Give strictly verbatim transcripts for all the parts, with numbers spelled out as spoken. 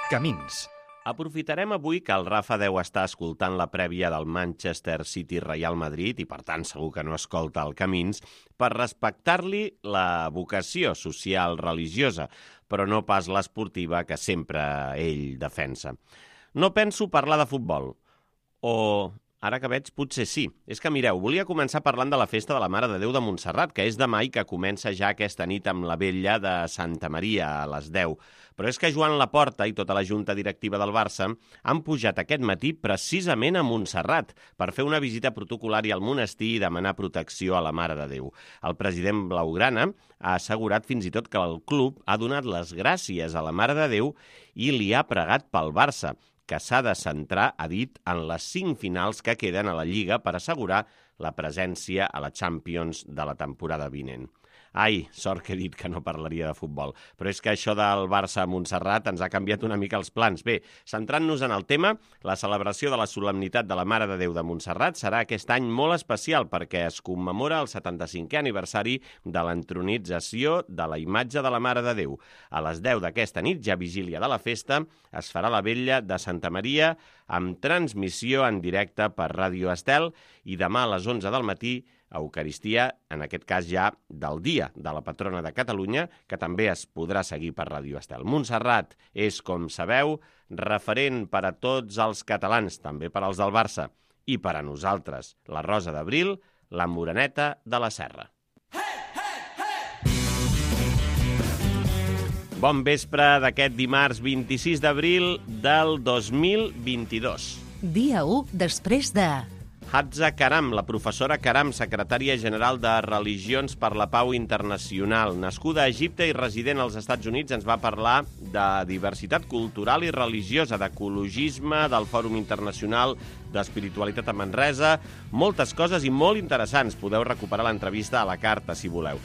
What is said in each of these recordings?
Camins. Aprofitarem avui que el Rafa deu estar escoltant la prèvia del Manchester City-Real Madrid i, per tant, segur que no escolta el Camins, per respectar-li la vocació social religiosa, però no pas l'esportiva que sempre ell defensa. No penso parlar de futbol, o... ara que veig, potser sí. És que, mireu, volia començar parlant de la festa de la Mare de Déu de Montserrat, que és demà i que comença ja aquesta nit amb la vetlla de Santa Maria a les deu. Però és que Joan Laporta i tota la junta directiva del Barça han pujat aquest matí precisament a Montserrat per fer una visita protocolària al monestir i demanar protecció a la Mare de Déu. El president blaugrana ha assegurat fins i tot que el club ha donat les gràcies a la Mare de Déu i li ha pregat pel Barça, que s'ha de centrar, ha dit, en les cinc finals que queden a la Lliga per assegurar la presència a la Champions de la temporada vinent. Ai, sort que he dit que no parlaria de futbol. Però és que això del Barça a Montserrat ens ha canviat una mica els plans. Bé, centrant-nos en el tema, la celebració de la solemnitat de la Mare de Déu de Montserrat serà aquest any molt especial perquè es commemora el setanta-cinquè aniversari de l'entronització de la imatge de la Mare de Déu. A les deu d'aquesta nit, ja vigília de la festa, es farà la vetlla de Santa Maria amb transmissió en directe per Ràdio Estel i demà a les onze del matí Eucaristia, en aquest cas ja del dia de la patrona de Catalunya, que també es podrà seguir per Ràdio Estel. Montserrat és, com sabeu, referent per a tots els catalans, també per als del Barça, i per a nosaltres, la Rosa d'Abril, la Moreneta de la Serra. Bon vespre d'aquest dimarts vint-i-sis d'abril del dos mil vint-i-dos. Dia u després de... Hatza Karam, la professora Karam, secretària general de Religions per la Pau Internacional. Nascuda a Egipte i resident als Estats Units, ens va parlar de diversitat cultural i religiosa, d'ecologisme, del Fòrum Internacional d'Espiritualitat a Manresa, moltes coses i molt interessants. Podeu recuperar l'entrevista a la carta, si voleu.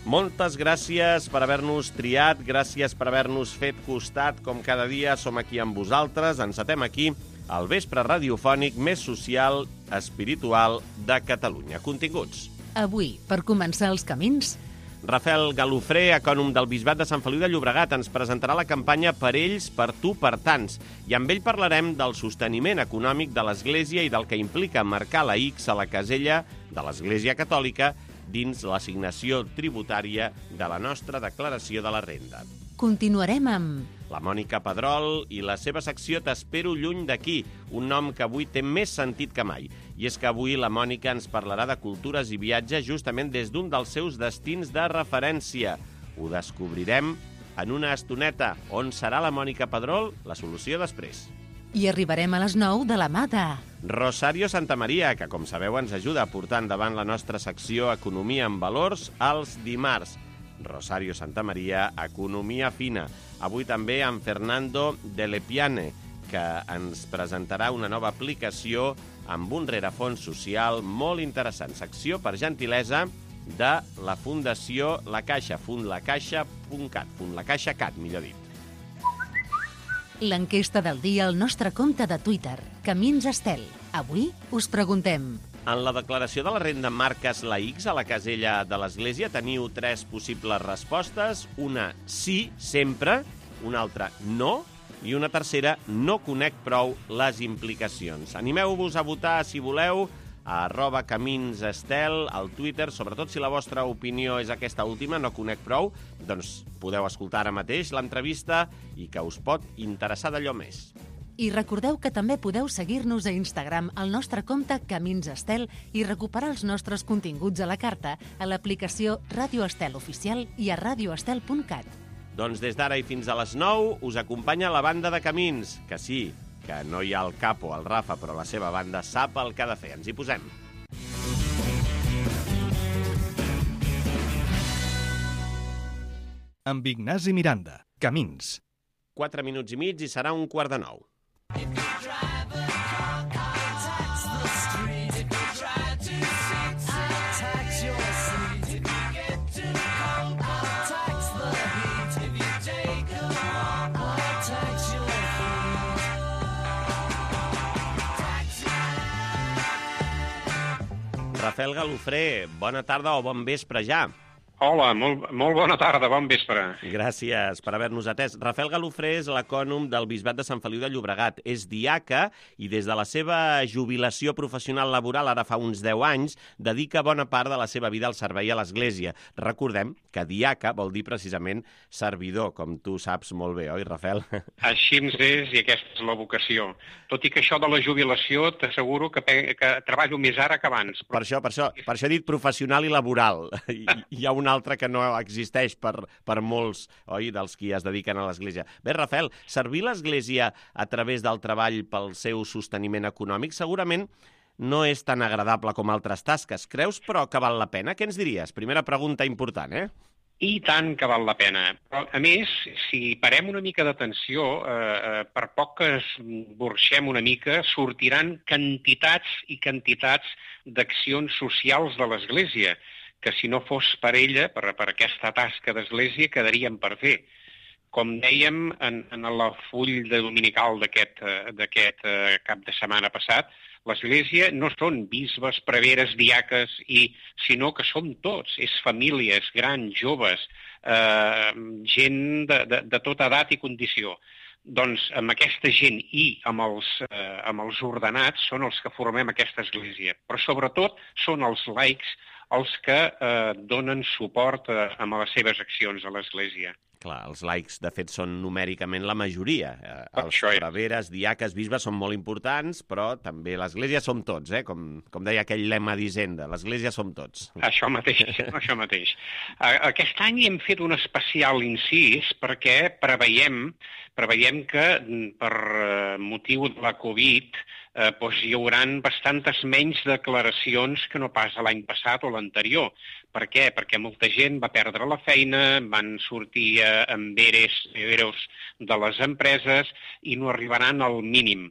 Moltes gràcies per haver-nos triat, gràcies per haver-nos fet costat, com cada dia som aquí amb vosaltres, encetem aquí el vespre radiofònic més social, espiritual de Catalunya. Continguts. Avui, per començar els camins... Rafael Galofré, ecònom del Bisbat de Sant Feliu de Llobregat, ens presentarà la campanya Per ells, per tu, per tants. I amb ell parlarem del sosteniment econòmic de l'Església i del que implica marcar la X a la casella de l'Església Catòlica dins l'assignació tributària de la nostra declaració de la renda. Continuarem amb... La Mònica Pedrol i la seva secció T'espero lluny d'aquí, un nom que avui té més sentit que mai. I és que avui la Mònica ens parlarà de cultures i viatges justament des d'un dels seus destins de referència. Ho descobrirem en una estoneta. On serà la Mònica Pedrol? La solució després. I arribarem a les nou de la mà de... Rosario Santamaria, que com sabeu ens ajuda a portar endavant la nostra secció Economia en Valors als dimarts. Rosario Santamaria, Economia Fina. Avui també amb Fernando de Lepiane, que ens presentarà una nova aplicació amb un rerefons social molt interessant. Secció per gentilesa de la Fundació La Caixa, fundlacaixa punt cat, fundlacaixa.cat, millor dit. L'enquesta del dia al nostre compte de Twitter, Camins Estel. Avui us preguntem... En la declaració de la renda marques la X a la casella de l'Església. Teniu tres possibles respostes. Una, sí, sempre. Una altra, no. I una tercera, no conec prou les implicacions. Animeu-vos a votar, si voleu, a arroba Camins Estel, al Twitter. Sobretot si la vostra opinió és aquesta última, no conec prou, doncs podeu escoltar ara mateix l'entrevista i que us pot interessar d'allò més. I recordeu que també podeu seguir-nos a Instagram al nostre compte Camins Estel i recuperar els nostres continguts a la carta a l'aplicació Ràdio Estel Oficial i a radioestel punt cat. Doncs des d'ara i fins a les nou us acompanya la banda de Camins, que sí, que no hi ha el capo, el Rafa, però la seva banda sap el que ha de fer. Ens hi posem. Amb Ignasi Miranda. Camins. Quatre minuts i mig i serà un quart de nou. Rafael Galofré, bona tarda o bon vespre ja. Hola, molt, molt bona tarda, bon vespre. Gràcies per haver-nos atès. Rafael Galofré és l'ecònom del Bisbat de Sant Feliu de Llobregat. És diaca i des de la seva jubilació professional laboral, ara fa uns deu anys, dedica bona part de la seva vida al servei a l'Església. Recordem que diaca vol dir precisament servidor, com tu saps molt bé, oi, Rafael? Així ens és i aquesta és la vocació. Tot i que això de la jubilació t'asseguro que, que treballo més ara que abans. Per això, per això, per això he dit professional i laboral. Hi, hi ha una altra que no existeix per, per molts, oi, dels qui es dediquen a l'Església. Bé, Rafael, servir l'Església a través del treball pel seu sosteniment econòmic segurament no és tan agradable com altres tasques. Creus, però, que val la pena? Què ens diries? Primera pregunta important, eh? I tant que val la pena. Però, a més, si parem una mica d'atenció, eh, per poc que esborxem una mica, sortiran quantitats i quantitats d'accions socials de l'Església, que si no fos per ella, per, per aquesta tasca d'Església, quedarien per fer. Com dèiem en, en el full de dominical d'aquest d'aquest cap de setmana passat, l'Església no són bisbes, preveres, diaques, i, sinó que som tots, és famílies, grans, joves, eh, gent de, de, de tota edat i condició. Doncs amb aquesta gent i amb els, eh, amb els ordenats són els que formem aquesta Església, però sobretot són els laics els que eh, donen suport a, a les seves accions a l'Església. Clar, els laics, de fet, són numèricament la majoria. Eh, els Això és. preveres, diaques, bisbes són molt importants, però també l'Església som tots, eh? com, com deia aquell lema d'Hisenda, l'Església som tots. Això mateix, això mateix. Aquest any hem fet un especial incís perquè preveiem, preveiem que per motiu de la Covid eh, doncs hi haurà bastantes menys declaracions que no pas l'any passat o l'anterior. Per què? Perquè molta gent va perdre la feina, van sortir eh, amb eres, eros de les empreses i no arribaran al mínim.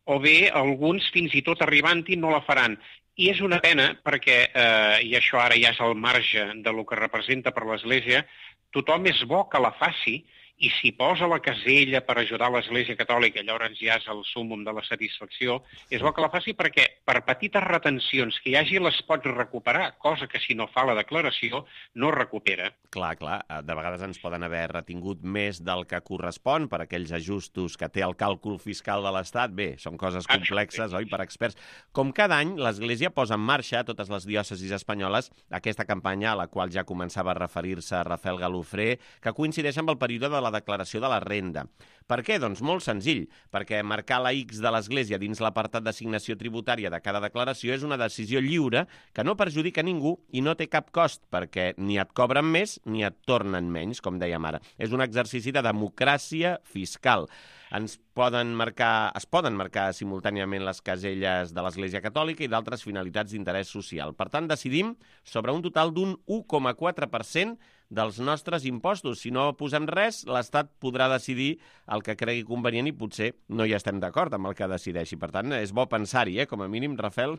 O bé, alguns fins i tot arribant-hi no la faran. I és una pena perquè, eh, i això ara ja és al marge de lo que representa per l'Església, tothom és bo que la faci, i si posa la casella per ajudar l'Església Catòlica, llavors ja és el súmmum de la satisfacció, és bo que la faci perquè per petites retencions que hi hagi les pots recuperar, cosa que si no fa la declaració no recupera. Clar, clar, de vegades ens poden haver retingut més del que correspon per aquells ajustos que té el càlcul fiscal de l'Estat. Bé, són coses complexes, oi, per experts. Com cada any, l'Església posa en marxa a totes les diòcesis espanyoles aquesta campanya a la qual ja començava a referir-se Rafael Galofré, que coincideix amb el període de la declaració de la renda. Per què? Doncs molt senzill, perquè marcar la X de l'Església dins l'apartat d'assignació tributària de cada declaració és una decisió lliure que no perjudica ningú i no té cap cost, perquè ni et cobren més ni et tornen menys, com dèiem ara. És un exercici de democràcia fiscal. Ens poden marcar, es poden marcar simultàniament les caselles de l'Església Catòlica i d'altres finalitats d'interès social. Per tant, decidim sobre un total d'un u coma quatre per cent dels nostres impostos. Si no posem res, l'Estat podrà decidir el que cregui convenient i potser no hi estem d'acord amb el que decideixi. Per tant, és bo pensar-hi, eh, com a mínim, Rafael.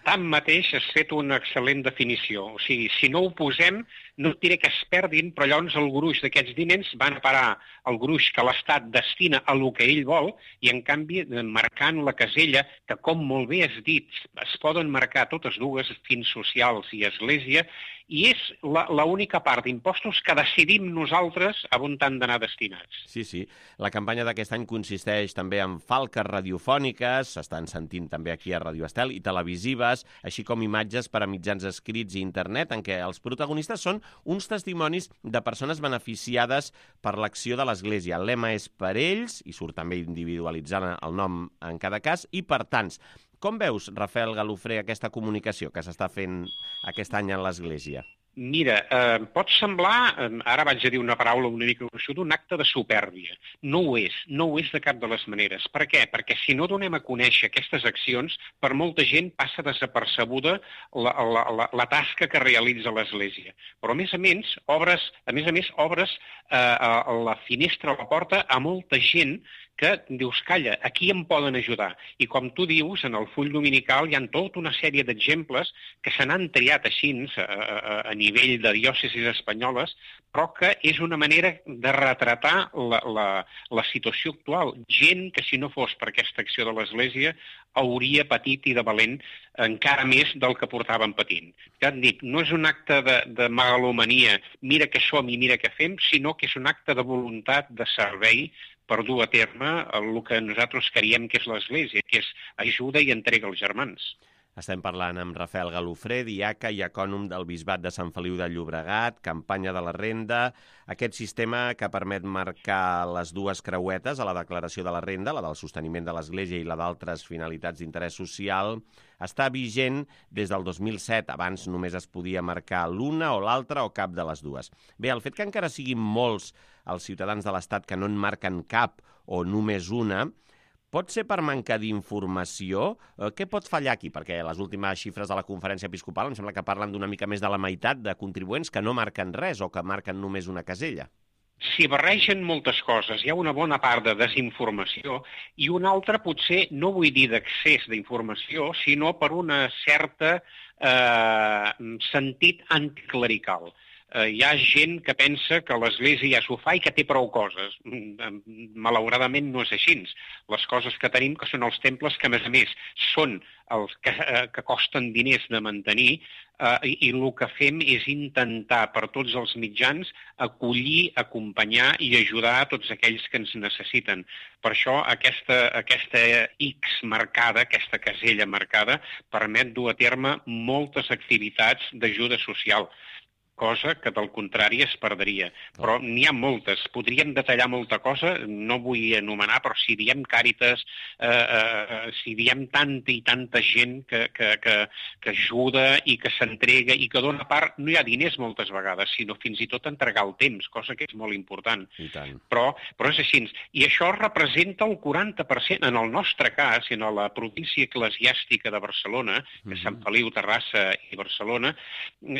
Tanmateix, has fet una excel·lent definició. O sigui, si no ho posem, no et diré que es perdin, però llavors el gruix d'aquests diners van a parar el gruix que l'Estat destina a lo que ell vol i, en canvi, marcant la casella, que, com molt bé has dit, es poden marcar totes dues, fins socials i Església, i és l'única part d'impostos que decidim nosaltres a on han d'anar destinats. Sí, sí. La campanya d'aquest any consisteix també en falques radiofòniques, s'estan sentint també aquí a Radio Estel, i televisives, així com imatges per a mitjans escrits i internet, en què els protagonistes són uns testimonis de persones beneficiades per l'acció de l'Església. El lema és per ells, i surt també individualitzant el nom en cada cas, i per tants. Com veus, Rafael Galofré, aquesta comunicació que s'està fent aquest any en l'Església? Mira, eh, pot semblar, eh, ara vaig a dir una paraula una mica gruixuda, un acte de supèrbia. No ho és, no ho és de cap de les maneres. Per què? Perquè si no donem a conèixer aquestes accions, per molta gent passa desapercebuda la, la, la, la tasca que realitza l'Església. Però, a més a més, obres, a més a més, obres eh, a la finestra, a la porta, a molta gent que dius, calla, aquí em poden ajudar. I com tu dius, en el full dominical hi ha tota una sèrie d'exemples que se n'han triat així a, a, a nivell de diòcesis espanyoles, però que és una manera de retratar la, la, la situació actual. Gent que, si no fos per aquesta acció de l'Església, hauria patit i de valent encara més del que portaven patint. Ja et dic, no és un acte de, de megalomania, mira què som i mira què fem, sinó que és un acte de voluntat, de servei, per dur a terme el que nosaltres creiem que és l'Església, que és ajuda i entrega als germans. Estem parlant amb Rafael Galofré, diaca i ecònom del Bisbat de Sant Feliu de Llobregat, campanya de la renda, aquest sistema que permet marcar les dues creuetes a la declaració de la renda, la del sosteniment de l'Església i la d'altres finalitats d'interès social, està vigent des del dos mil set. Abans només es podia marcar l'una o l'altra o cap de les dues. Bé, el fet que encara siguin molts els ciutadans de l'Estat que no en marquen cap o només una, pot ser per manca d'informació? Què pot fallar aquí? Perquè les últimes xifres de la Conferència Episcopal em sembla que parlen d'una mica més de la meitat de contribuents que no marquen res o que marquen només una casella. S'hi barregen moltes coses. Hi ha una bona part de desinformació i una altra potser, no vull dir d'accés d'informació, sinó per una certa eh, sentit anticlerical. Eh, hi ha gent que pensa que l'Església ja s'ho fa i que té prou coses. Malauradament no és així. Les coses que tenim que són els temples que, a més a més, són els que, eh, que costen diners de mantenir eh, i, i el que fem és intentar per tots els mitjans acollir, acompanyar i ajudar a tots aquells que ens necessiten. Per això aquesta, aquesta X marcada, aquesta casella marcada, permet dur a terme moltes activitats d'ajuda social, cosa que del contrari es perdria. Però n'hi ha moltes. Podríem detallar molta cosa, no vull anomenar, però si diem Càritas, eh, eh, si diem tanta i tanta gent que, que, que, que ajuda i que s'entrega i que dona part, no hi ha diners moltes vegades, sinó fins i tot entregar el temps, cosa que és molt important. I tant. Però, però és així. I això representa el quaranta per cent. En el nostre cas, en la província eclesiàstica de Barcelona, que és Sant Feliu, Terrassa i Barcelona,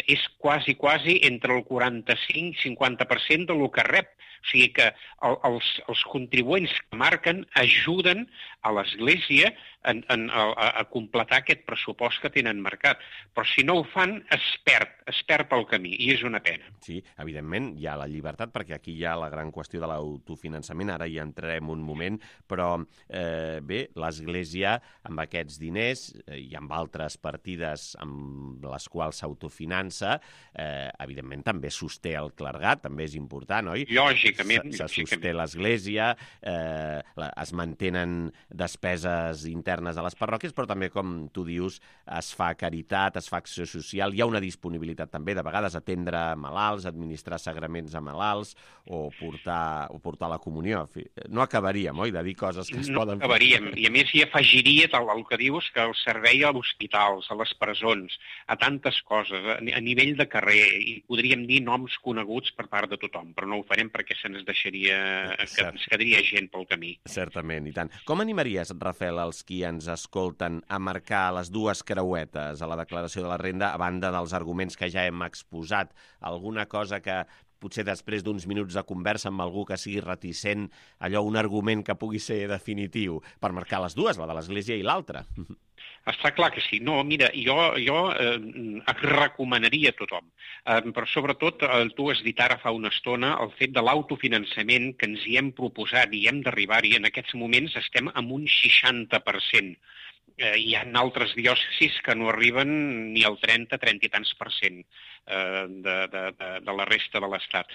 és quasi, quasi entre el quaranta-cinc i cinquanta per cent del que rep. O sigui que el, els, els contribuents que marquen ajuden a l'Església en, en, a, a completar aquest pressupost que tenen marcat. Però si no ho fan, es perd, es perd pel camí, i és una pena. Sí, evidentment hi ha la llibertat, perquè aquí hi ha la gran qüestió de l'autofinançament, ara hi entrarem un moment, però eh, bé, l'Església amb aquests diners eh, i amb altres partides amb les quals s'autofinança, eh, evidentment també sosté el clergat, també és important, oi? Lògicament. Se, se sosté l'Església, eh, la, es mantenen despeses internes a les parròquies, però també, com tu dius, es fa caritat, es fa acció social, hi ha una disponibilitat també, de vegades, atendre malalts, administrar sagraments a malalts o portar, o portar la comunió. No acabaríem, oi, de dir coses que es no poden... No acabaríem, i a més hi afegiria tal el que dius, que el servei als hospitals, a les presons, a tantes coses, a, a nivell de carrer, i podríem dir noms coneguts per part de tothom, però no ho farem perquè se ens deixaria, que ens quedaria gent pel camí. Certament, i tant. Com animaries, Rafael, els qui ens escolten a marcar les dues creuetes a la declaració de la renda, a banda dels arguments que ja hem exposat? Alguna cosa que potser després d'uns minuts de conversa amb algú que sigui reticent, allò, un argument que pugui ser definitiu, per marcar les dues, la de l'Església i l'altra? Està clar que sí. No, mira, jo, jo eh, recomanaria a tothom, eh, però sobretot, eh, tu has dit ara fa una estona, el fet de l'autofinançament que ens hi hem proposat i hem d'arribar-hi, en aquests moments estem en un seixanta per cent. Eh, hi ha altres diòcesis que no arriben ni al trenta, trenta i tants per cent eh, de, de, de, de la resta de l'Estat.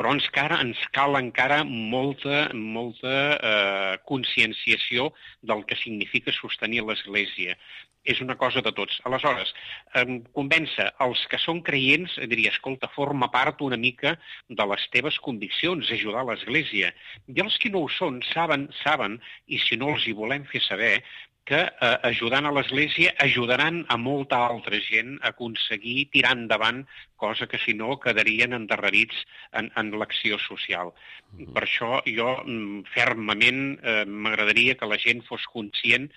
Però ens, cara, ens cal encara molta, molta eh, conscienciació del que significa sostenir l'Església. És una cosa de tots. Aleshores, eh, convèncer els que són creients, diria, escolta, forma part una mica de les teves conviccions, ajudar l'Església. I els que no ho són saben, saben, i si no els hi volem fer saber, que eh, ajudant a l'Església ajudaran a molta altra gent a aconseguir tirar endavant, cosa que si no quedarien endarrerits en, en l'acció social. Mm-hmm. Per això jo fermament eh, m'agradaria que la gent fos conscient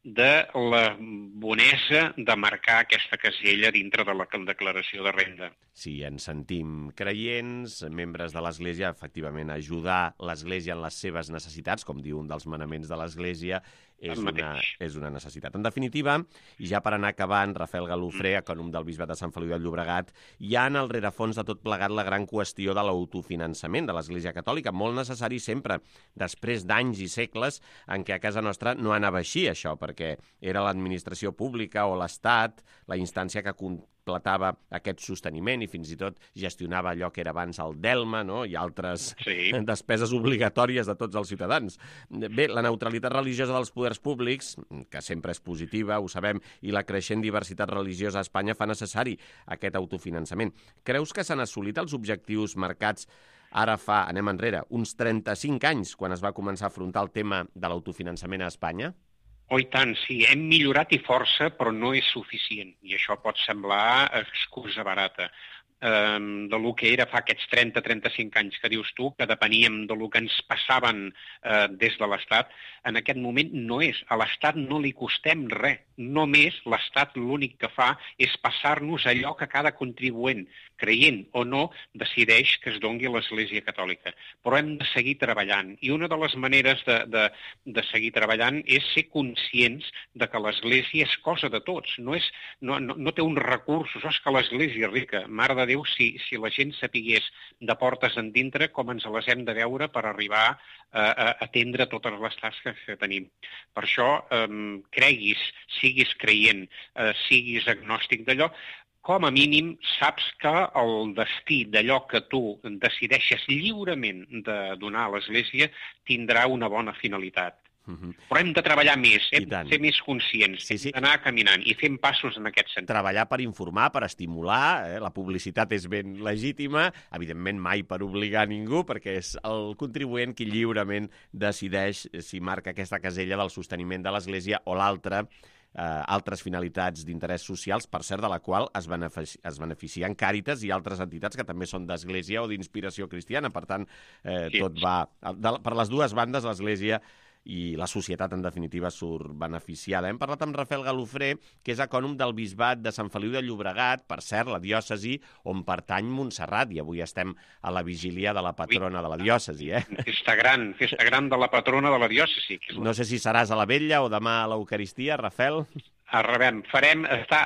de la bonesa de marcar aquesta casella dintre de la declaració de renda. Si ens sentim creients, membres de l'Església, efectivament, ajudar l'Església en les seves necessitats, com diu un dels manaments de l'Església, és una, és una necessitat. En definitiva, i ja per anar acabant, Rafael Galofré, ecònom del Bisbat de Sant Feliu de Llobregat, hi ha en el rerefons de tot plegat la gran qüestió de l'autofinançament de l'Església Catòlica, molt necessari sempre, després d'anys i segles en què a casa nostra no anava així, això, perquè era l'administració pública o l'Estat la instància que completava aquest sosteniment i fins i tot gestionava allò que era abans el Delma, no? I altres sí. despeses obligatòries de tots els ciutadans. Bé, la neutralitat religiosa dels poders públics, que sempre és positiva, ho sabem, i la creixent diversitat religiosa a Espanya fa necessari aquest autofinançament. Creus que s'han assolit els objectius marcats ara fa, anem enrere, uns trenta-cinc anys, quan es va començar a afrontar el tema de l'autofinançament a Espanya? Oh, i tant, sí. Hem millorat i força, però no és suficient. I això pot semblar excusa barata. Um, de lo que era fa aquests trenta a trenta-cinc anys que dius tu, que depeníem de lo que ens passaven uh, des de l'Estat, en aquest moment no és. A l'Estat no li costem res. Només l'Estat l'únic que fa és passar-nos allò que cada contribuent, creient o no, decideix que es dongui a l'Església Catòlica. Però hem de seguir treballant. I una de les maneres de, de, de seguir treballant és ser conscients de que l'Església és cosa de tots. No, és, no, no, no té uns recursos. Oh, és que l'Església és rica. Mare de Déu, si, si la gent sapigués de portes endintre com ens les hem de veure per arribar a, a atendre totes les tasques que tenim. Per això, eh, creguis, siguis creient, eh, siguis agnòstic d'allò, com a mínim saps que el destí d'allò que tu decideixes lliurement de donar a l'Església tindrà una bona finalitat. Uh-huh. Però hem de treballar més, hem de ser més conscients, sí, sí. hem d'anar caminant i fent passos en aquest sentit. Treballar per informar, per estimular, eh? La publicitat és ben legítima, evidentment mai per obligar a ningú, perquè és el contribuent qui lliurement decideix si marca aquesta casella del sosteniment de l'Església o l'altra, eh, altres finalitats d'interès socials, per cert, de la qual es, benefici es beneficien Càritas i altres entitats que també són d'Església o d'inspiració cristiana. Per tant, eh, sí. tot va... De, per les dues bandes, l'Església i la societat, en definitiva, surt beneficiada. Hem parlat amb Rafael Galofré, que és ecònom del Bisbat de Sant Feliu de Llobregat, per cert, la diòcesi on pertany Montserrat, i avui estem a la vigília de la patrona de la diòcesi, eh? Festa gran, festa gran de la patrona de la diòcesi. No sé si seràs a la vetlla o demà a l'Eucaristia, Rafael. Arrebem, farem, està,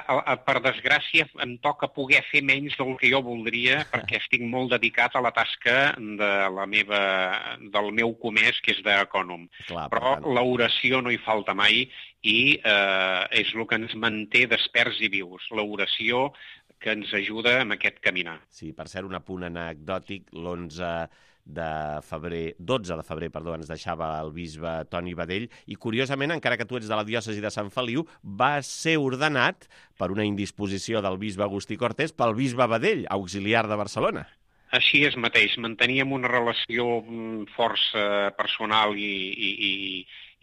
per desgràcia, em toca poder fer menys del que jo voldria, perquè estic molt dedicat a la tasca de la meva, del meu comès, que és d'ecònom. Però l'oració no hi falta mai i eh, és el que ens manté desperts i vius. L'oració que ens ajuda en aquest caminar. Sí, per cert, un apunt anecdòtic, l'onze de febrer, dotze de febrer, perdó, ens deixava el bisbe Toni Badell i, curiosament, encara que tu ets de la diòcesi de Sant Feliu, va ser ordenat per una indisposició del bisbe Agustí Cortés pel bisbe Badell, auxiliar de Barcelona. Així és mateix, manteníem una relació força personal i, i, i,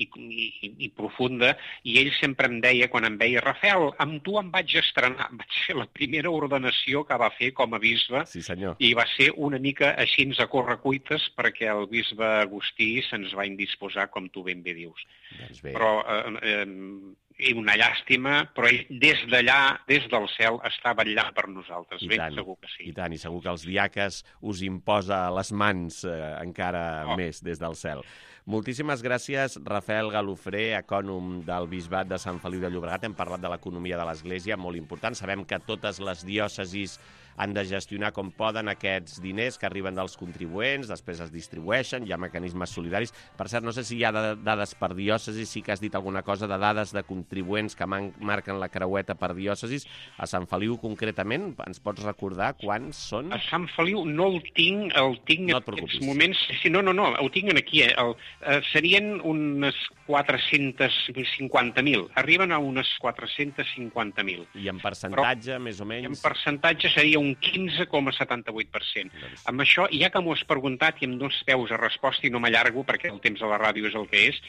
i, i, i profunda, i ell sempre em deia, quan em veia, Rafael, amb tu em vaig estrenar, vaig ser la primera ordenació que va fer com a bisbe, sí, senyor. I va ser una mica així a correcuites perquè el bisbe Agustí se'ns va indisposar, com tu ben bé dius. Doncs bé. Però... Eh, eh, i una llàstima, però ell des d'allà, des del cel, està vetllant per nosaltres. I ben tant, segur que sí. I tant, i segur que els diaques us imposa a les mans eh, encara oh. més des del cel. Moltíssimes gràcies, Rafael Galofré, ecònom del Bisbat de Sant Feliu de Llobregat. Hem parlat de l'economia de l'Església, molt important. Sabem que totes les diòcesis han de gestionar com poden aquests diners que arriben dels contribuents, després es distribueixen, hi ha mecanismes solidaris. Per cert, no sé si hi ha dades per diòcesis, sí que has dit alguna cosa de dades de contribuents que man marquen la creueta per diòcesis. A Sant Feliu, concretament, ens pots recordar quants són? A Sant Feliu no el tinc, el tinc no en aquests moments... Sí, no, no, no, ho tinc aquí. Eh? El, eh, serien unes quatre-cents cinquanta mil. Arriben a unes quatre-cents cinquanta mil. I en percentatge, però, més o menys? En percentatge seria un quinze coma setanta-vuit per cent. Doncs... Amb això, ja que m'ho has preguntat i amb dos peus a resposta, i no m'allargo perquè el temps de la ràdio és el que és,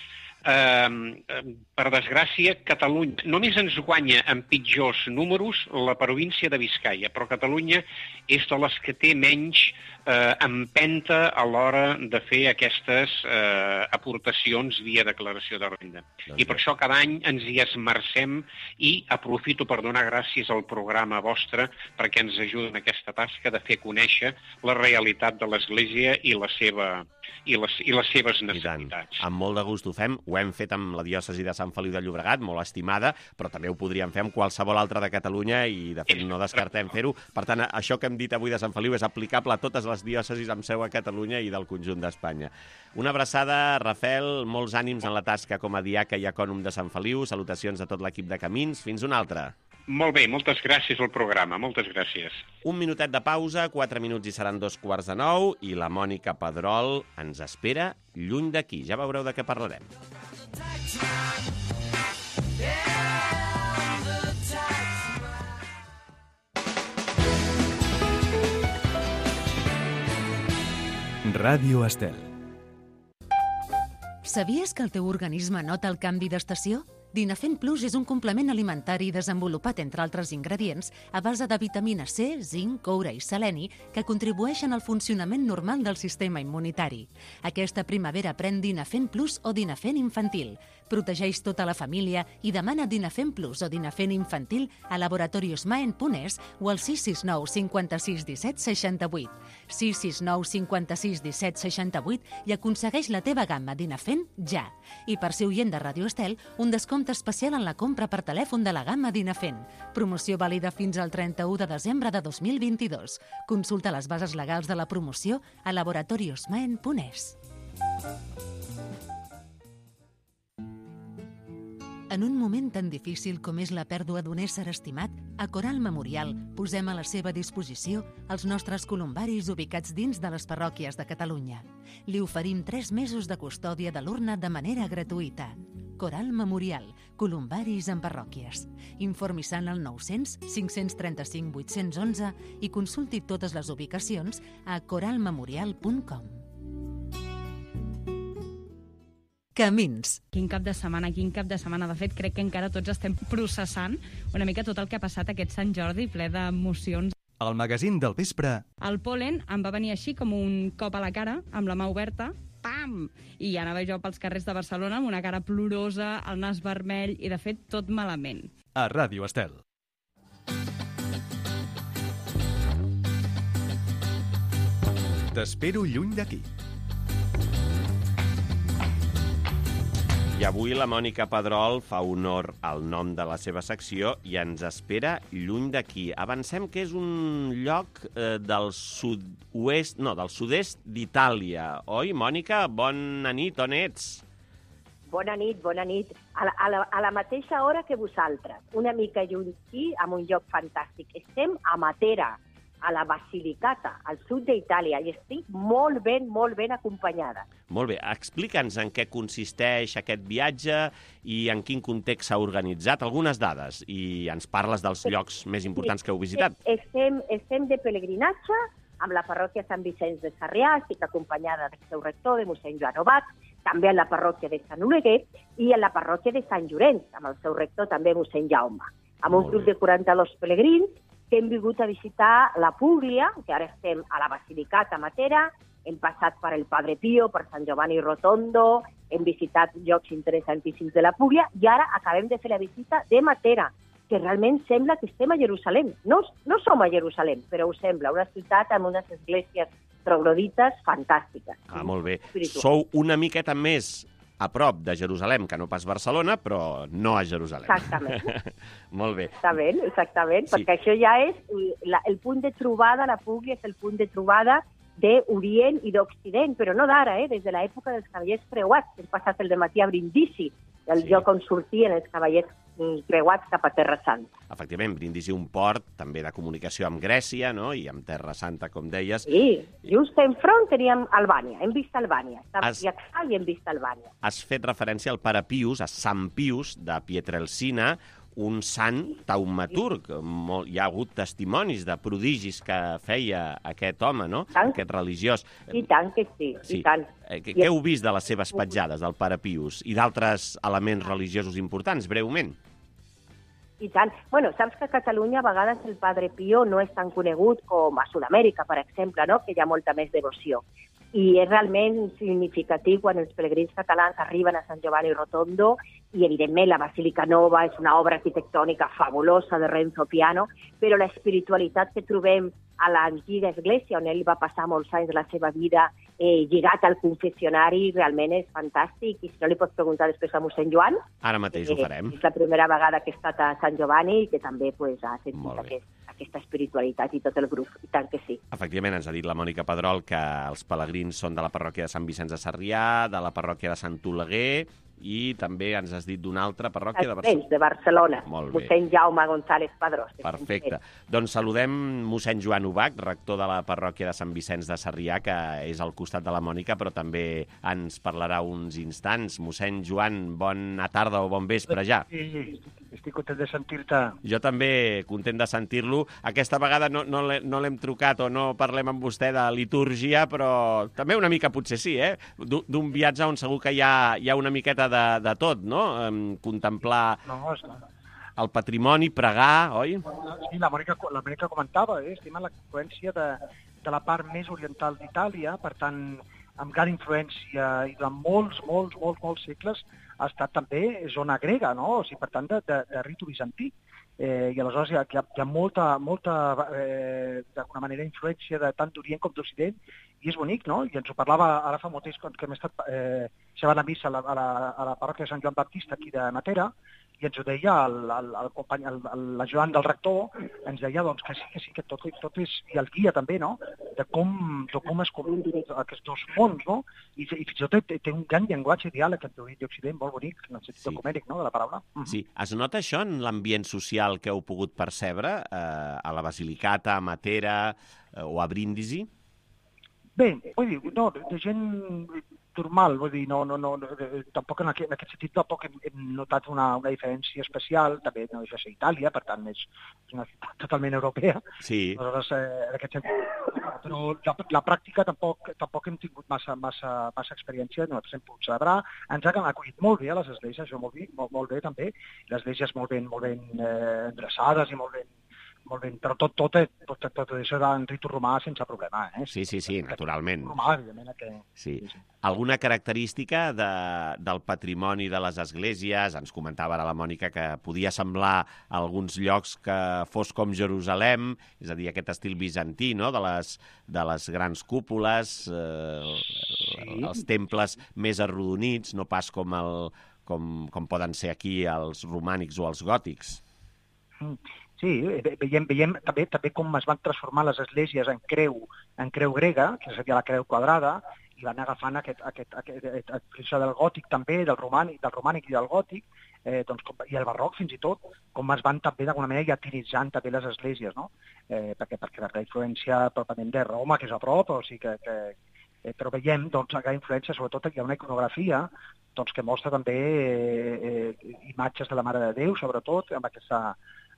eh, per desgràcia, Catalunya només ens guanya en pitjors números la província de Biscaia, però Catalunya és de les que té menys eh, empenta a l'hora de fer aquestes eh, aportacions via declaració de renda. I per això cada any ens hi esmercem i aprofito per donar gràcies al programa vostre perquè ens ajuda en aquesta tasca de fer conèixer la realitat de l'Església i la seva i les, i les seves necessitats. Amb molt de gust ho fem. Ho hem fet amb la diòcesi de Sant Feliu de Llobregat, molt estimada, però també ho podríem fer amb qualsevol altra de Catalunya i, de fet, no descartem fer-ho. Per tant, això que hem dit avui de Sant Feliu és aplicable a totes les diòcesis amb seu a Catalunya i del conjunt d'Espanya. Una abraçada, Rafel, molts ànims en la tasca com a diaca i ecònom de Sant Feliu. Salutacions a tot l'equip de Camins. Fins una altra. Molt bé, moltes gràcies al programa, moltes gràcies. Un minutet de pausa, quatre minuts i seran dos quarts de nou, i la Mònica Pedrol ens espera lluny d'aquí. Ja veureu de què parlarem. Ràdio Estel. Sabies que el teu organisme nota el canvi d'estació? Dinafem Plus és un complement alimentari desenvolupat, entre altres ingredients, a base de vitamina C, zinc, coure i seleni, que contribueixen al funcionament normal del sistema immunitari. Aquesta primavera pren Dinafem Plus o Dinafem Infantil. Protegeix tota la família i demana Dinafem Plus o Dinafem Infantil a Laboratorios Maen punt es o al sis sis nou cinquanta-sis disset seixanta-vuit. sis sis nou cinquanta-sis disset seixanta-vuit i aconsegueix la teva gamma Dinafem ja. I per ser oient de Ràdio Estel, un descompte especial en la compra per telèfon de la gamma Dinafem. Promoció vàlida fins al trenta-u de desembre de dos mil vint-i-dos. Consulta les bases legals de la promoció a Laboratorios Maen punt es. En un moment tan difícil com és la pèrdua d'un ésser estimat, a Coral Memorial posem a la seva disposició els nostres columbaris ubicats dins de les parròquies de Catalunya. Li oferim tres mesos de custòdia de l'urna de manera gratuïta. Coral Memorial, columbaris en parròquies. Informi-se al nou-cents cinc-cents trenta-cinc vuit-cents onze i consulti totes les ubicacions a coral memorial punt com. Camins. Quin cap de setmana, quin cap de setmana. De fet, crec que encara tots estem processant una mica tot el que ha passat aquest Sant Jordi, ple d'emocions. El magazín del vespre. El pol·len em va venir així com un cop a la cara, amb la mà oberta, pam! I anava jo pels carrers de Barcelona amb una cara plorosa, el nas vermell i, de fet, tot malament. A Ràdio Estel. T'espero lluny d'aquí. I avui la Mònica Pedrol fa honor al nom de la seva secció i ens espera lluny d'aquí. Avancem que és un lloc eh, del sud-oest, no, del sud-est d'Itàlia. Oi, Mònica? Bona nit, on ets? Bona nit, bona nit. A la, a la, a la mateixa hora que vosaltres, una mica lluny aquí, en un lloc fantàstic. Estem a Matera, a la Basilicata, al sud d'Itàlia, i estic molt ben, molt ben acompanyada. Molt bé, explica'ns en què consisteix aquest viatge i en quin context s'ha organitzat, algunes dades, i ens parles dels llocs més importants que heu visitat. Estem, estem de pelegrinatge amb la parròquia Sant Vicenç de Sarrià, estic acompanyada del seu rector, de mossèn Joan Obat, també en la parròquia de Sant Oleguer i en la parròquia de Sant Llorenç, amb el seu rector també mossèn Jaume, amb un grup de quaranta-dos pelegrins que hem vingut a visitar la Públia, que ara estem a la Basilicata, a Matera, hem passat per el Padre Pío, per Sant Giovanni Rotondo, hem visitat llocs interessantíssims de la Públia i ara acabem de fer la visita de Matera, que realment sembla que estem a Jerusalem. No, no som a Jerusalem, però ho sembla, una ciutat amb unes esglésies troglodites fantàstiques. Ah, molt bé. Sou una miqueta més a prop de Jerusalem, que no pas Barcelona, però no a Jerusalem. Exactament. Molt bé. Exactament, exactament, sí. Perquè això ja és la, el punt de trobada, la Públia és el punt de trobada d'Orient i d'Occident, però no d'ara, eh? Des de l'època dels cavallers creuats, hem passat el dematí a Brindisi, el sí. lloc on sortien els cavallers creuats cap a Terra Santa. Efectivament, Brindisi un port també de comunicació amb Grècia, no? I amb Terra Santa, com deies. Sí, just enfront teníem Albània, hem vist Albània. Estàvem Has... i hem vist Albània. Has fet referència al Pare Pius, a Sant Pius de Pietrelcina, un sant taumaturg. Molt, hi ha hagut testimonis de prodigis que feia aquest home, no? Tant. Aquest religiós. I tant que sí, Sí. i tant. Eh, Què heu vist de les seves petjades, del pare Pius, i d'altres elements religiosos importants, breument? I tant. Bueno, saps que a Catalunya a vegades el Padre Pío no és tan conegut com a Sud-amèrica, per exemple, no? Que hi ha molta més devoció. I és realment significatiu quan els pelegrins catalans arriben a Sant Giovanni Rotondo i, evidentment, la Basílica Nova és una obra arquitectònica fabulosa de Renzo Piano, però la espiritualitat que trobem a l'antiga església, on ell va passar molts anys de la seva vida eh, lligat al confessionari, realment és fantàstic. I si no li pots preguntar després a mossèn Joan... Ara mateix eh, ho farem. És la primera vegada que he estat a Sant Giovanni i que també pues, ha sentit Molt bé. aquest, aquesta espiritualitat i tot el grup. I tant que sí. Efectivament, ens ha dit la Mònica Pedrol que els pelegrins són de la parròquia de Sant Vicenç de Sarrià, de la parròquia de Sant Oleguer, i també ens has dit d'una altra parròquia de Barcelona. de Barcelona. Molt bé. Mossèn Jaume González Padrós. Perfecte. Doncs saludem mossèn Joan Ubach, rector de la parròquia de Sant Vicenç de Sarrià, que és al costat de la Mònica, però també ens parlarà uns instants. Mossèn Joan, bona tarda o bon vespre ja. Sí, estic content de sentir-te. Jo també content de sentir-lo. Aquesta vegada no, no l'he- no l'hem trucat o no parlem amb vostè de litúrgia, però també una mica potser sí, eh? D'u- D'un viatge on segur que hi ha, hi ha una miqueta de, de tot, no? Em, contemplar No, és... el patrimoni, pregar, oi? Sí, la Mònica, la Mònica comentava, eh? estem en la influència de, de la part més oriental d'Itàlia, per tant, amb gran influència i durant molts, molts, molts, molts segles ha estat també zona grega, no? O sigui, per tant, de, de, de ritu bizantí. Eh, I aleshores hi ha, hi ha, hi ha molta, molta eh, d'alguna manera, influència de tant d'Orient com d'Occident, i és bonic, no? I ens ho parlava ara fa molt temps que hem estat eh, xerrant a missa a la, a, la, a la parròquia de Sant Joan Baptista, aquí de Matera, i ens ho deia el, el, el company, el, el, la Joan del rector, ens deia doncs, que sí, que sí, que tot, tot és, i el guia també, no?, de com, de com es combinen aquests dos mons, no?, i, i fins i tot té, té un gran llenguatge diàleg entre Orient i Occident, molt bonic, en el sentit Sí. ecumènic, no?, de la paraula. Sí. Es nota això en l'ambient social que heu pogut percebre eh, a la Basilicata, a Matera eh, o a Brindisi? Bé, vull dir, no, de gent normal, vull dir, no, no, no, no, tampoc en aquest, en aquest sentit tampoc hem, hem notat una, una diferència especial, també no deixa de ser Itàlia, per tant és, és una ciutat totalment europea, Sí. aleshores eh, en aquest sentit, però la, la pràctica tampoc, tampoc hem tingut massa, massa, massa experiència, nosaltres hem pogut celebrar, ens han acollit molt bé a les esglésies, això molt bé, molt, molt bé també, les esglésies molt ben, molt ben eh, endreçades i molt ben, molt ben, però tot, tot, tot, tot, tot això era en ritu romà sense problema, eh? Sí, sí, sí, naturalment. Romà, evidentment, que... Sí. Alguna característica de, del patrimoni de les esglésies? Ens comentava ara la Mònica que podia semblar a alguns llocs que fos com Jerusalem, és a dir, aquest estil bizantí, no?, de les, de les grans cúpules, eh, Sí. els temples més arrodonits, no pas com, el, com, com poden ser aquí els romànics o els gòtics. Sí, ve- veiem, veiem també, també com es van transformar les esglésies en creu, en creu grega, que seria la creu quadrada, i van agafant aquest, aquest, aquest, aquest, aquest del gòtic també, del romànic, del romànic i del gòtic, eh, doncs, com, i el barroc fins i tot, com es van també d'alguna manera llatinitzant també les esglésies, no? Eh, perquè, perquè la influència pròpiament de Roma, que és a prop, o sigui que, que eh, però veiem doncs, la gran influència, sobretot hi ha una iconografia doncs, que mostra també eh, eh, imatges de la Mare de Déu, sobretot, amb aquesta,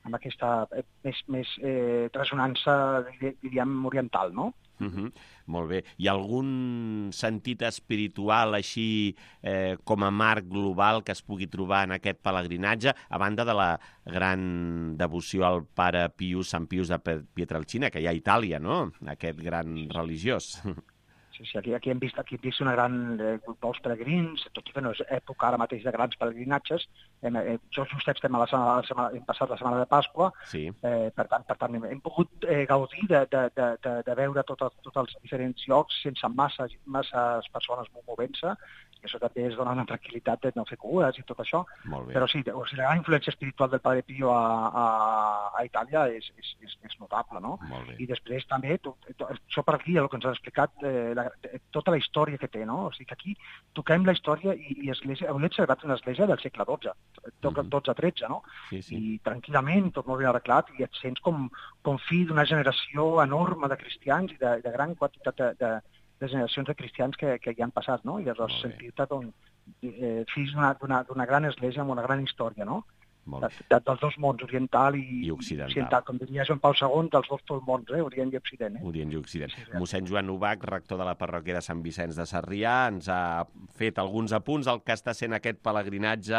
amb aquesta eh, més, més eh, ressonança, diríem, oriental, no? Uh -huh. Molt bé. Hi ha algun sentit espiritual així eh, com a marc global que es pugui trobar en aquest pelegrinatge, a banda de la gran devoció al pare Pius, Sant Pius de Pietrelcina, que hi ha a Itàlia, no?, aquest gran religiós. Sí, sí, aquí, aquí hem vist aquí hem vist una gran eh, molts peregrins, tot i que no és època ara mateix de grans peregrinatges. Hem, eh, jo just estem a la setmana, la setmana, hem passat la setmana de Pasqua, Sí. eh, per tant, per tant hem, hem pogut eh, gaudir de, de, de, de, de veure tots tot els diferents llocs sense massa, masses persones movent-se, i això també es dona una tranquil·litat de no fer cues i tot això. Molt bé. Però sí, o sigui, la gran influència espiritual del Padre Pío a, a, a Itàlia és, és, és, és notable, no? Molt bé. I després també, to, to, això per aquí, el que ens has explicat, eh, la, tota la història que té, no? O sigui que aquí toquem la història i, i església, hem observat una església del segle dotze, dotze tretze, no? Sí, sí. I tranquil·lament, tot molt ben arreglat, i et sents com, com fill d'una generació enorme de cristians i de, de gran quantitat de, de, de generacions de cristians que, que hi han passat, no? I aleshores Molt bé. sentir-te doncs, eh, fills d'una- d'una d'una gran església amb una gran història, no? Molt bé. de, de, dels dos mons, oriental i, I occidental. occidental. Com diria Joan Pau segon, dels dos mons, eh? Orient i Occident. Eh? Orient i Occident. Sí, sí. Mossèn Joan Ubach, rector de la parròquia de Sant Vicenç de Sarrià, ens ha fet alguns apunts al que està sent aquest pelegrinatge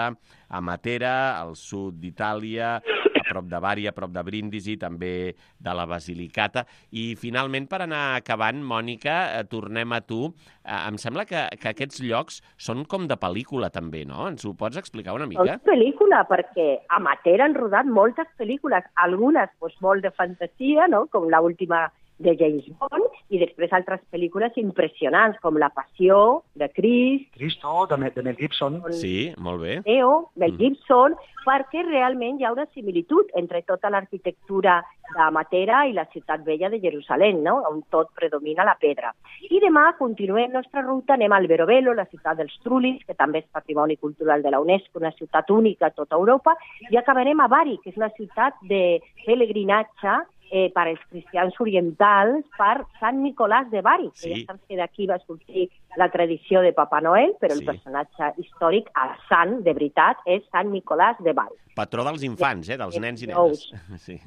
a Matera, al sud d'Itàlia, a prop de Bari, a prop de Brindisi, també de la Basilicata. I finalment, per anar acabant, Mònica, eh, tornem a tu. Eh, em sembla que, que aquests llocs són com de pel·lícula també, no? Ens ho pots explicar una mica? Són pel·lícula, perquè a Matera han rodat moltes pel·lícules, algunes pues, molt de fantasia, no? Com l'última de James Bond, i després altres pel·lícules impressionants, com La Passió, de Crist, Cristo, de, Mel- de Mel Gibson. Sí, molt bé. Neo, Mel Mm. Gibson, perquè realment hi ha una similitud entre tota l'arquitectura de Matera i la ciutat vella de Jerusalem, no? On tot predomina la pedra. I demà continuem nostra ruta, anem al Verovelo, la ciutat dels Trulis, que també és patrimoni cultural de la UNESCO, una ciutat única a tota Europa, i acabarem a Bari, que és una ciutat de pelegrinatge eh, per als cristians orientals per Sant Nicolàs de Bari, Sí. que ja saps que d'aquí va sortir la tradició de Papa Noel, però Sí. el personatge històric, el sant, de veritat, és Sant Nicolàs de Bari. Patró dels infants, eh? Dels nens i nenes. Nous. Sí.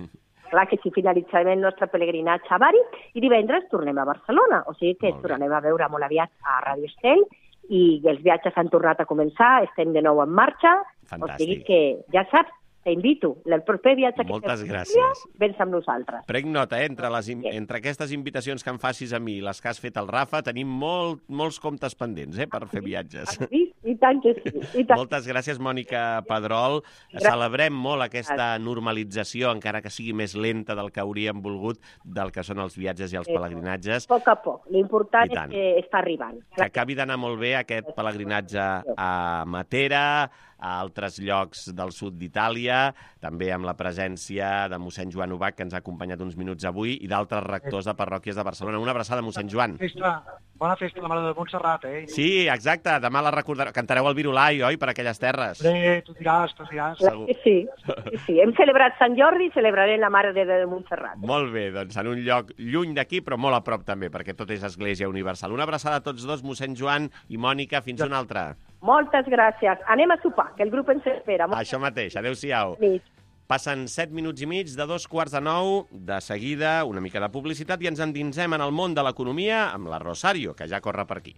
Clar que si finalitzarem el nostre pelegrinatge a Bari i divendres tornem a Barcelona, o sigui que Molt bé. tornem a veure molt aviat a Radio Estel i els viatges han tornat a començar, estem de nou en marxa, Fantàstic. o sigui que ja saps, t'invito, el proper viatge que Moltes fem gràcies. vens amb nosaltres. Prenc nota, eh? Entre, les, entre aquestes invitacions que em facis a mi i les que has fet al Rafa, tenim molt, molts comptes pendents, eh? Per fer viatges. Sí, i tant que sí. I tant. Moltes gràcies, Mònica Pedrol. Gràcies. Celebrem molt aquesta normalització, encara que sigui més lenta del que hauríem volgut, del que són els viatges i els pelegrinatges. A poc a poc. L'important I és tant. que està arribant. Que acabi d'anar molt bé aquest pelegrinatge a Matera, a altres llocs del sud d'Itàlia, també amb la presència de mossèn Joan Ubach, que ens ha acompanyat uns minuts avui, i d'altres rectors de parròquies de Barcelona. Una abraçada, mossèn Joan. Festa, bona festa a la Mare de Montserrat, eh? Sí, exacte, demà la recordareu. Cantareu el Virolai, oi, per aquelles terres? Bé, tu diràs, tu diràs. Clar que sí, sí, sí. Hem celebrat Sant Jordi i celebrarem la Mare de Déu de Montserrat. Molt bé, doncs en un lloc lluny d'aquí, però molt a prop també, perquè tot és Església Universal. Una abraçada a tots dos, mossèn Joan i Mònica, fins una altra. Moltes gràcies. Anem a sopar, que el grup ens espera. Això mateix, adéu-siau. Nit. Passen set minuts i mig de dos quarts de nou, de seguida una mica de publicitat i ens endinsem en el món de l'economia amb la Rosario, que ja corre per aquí.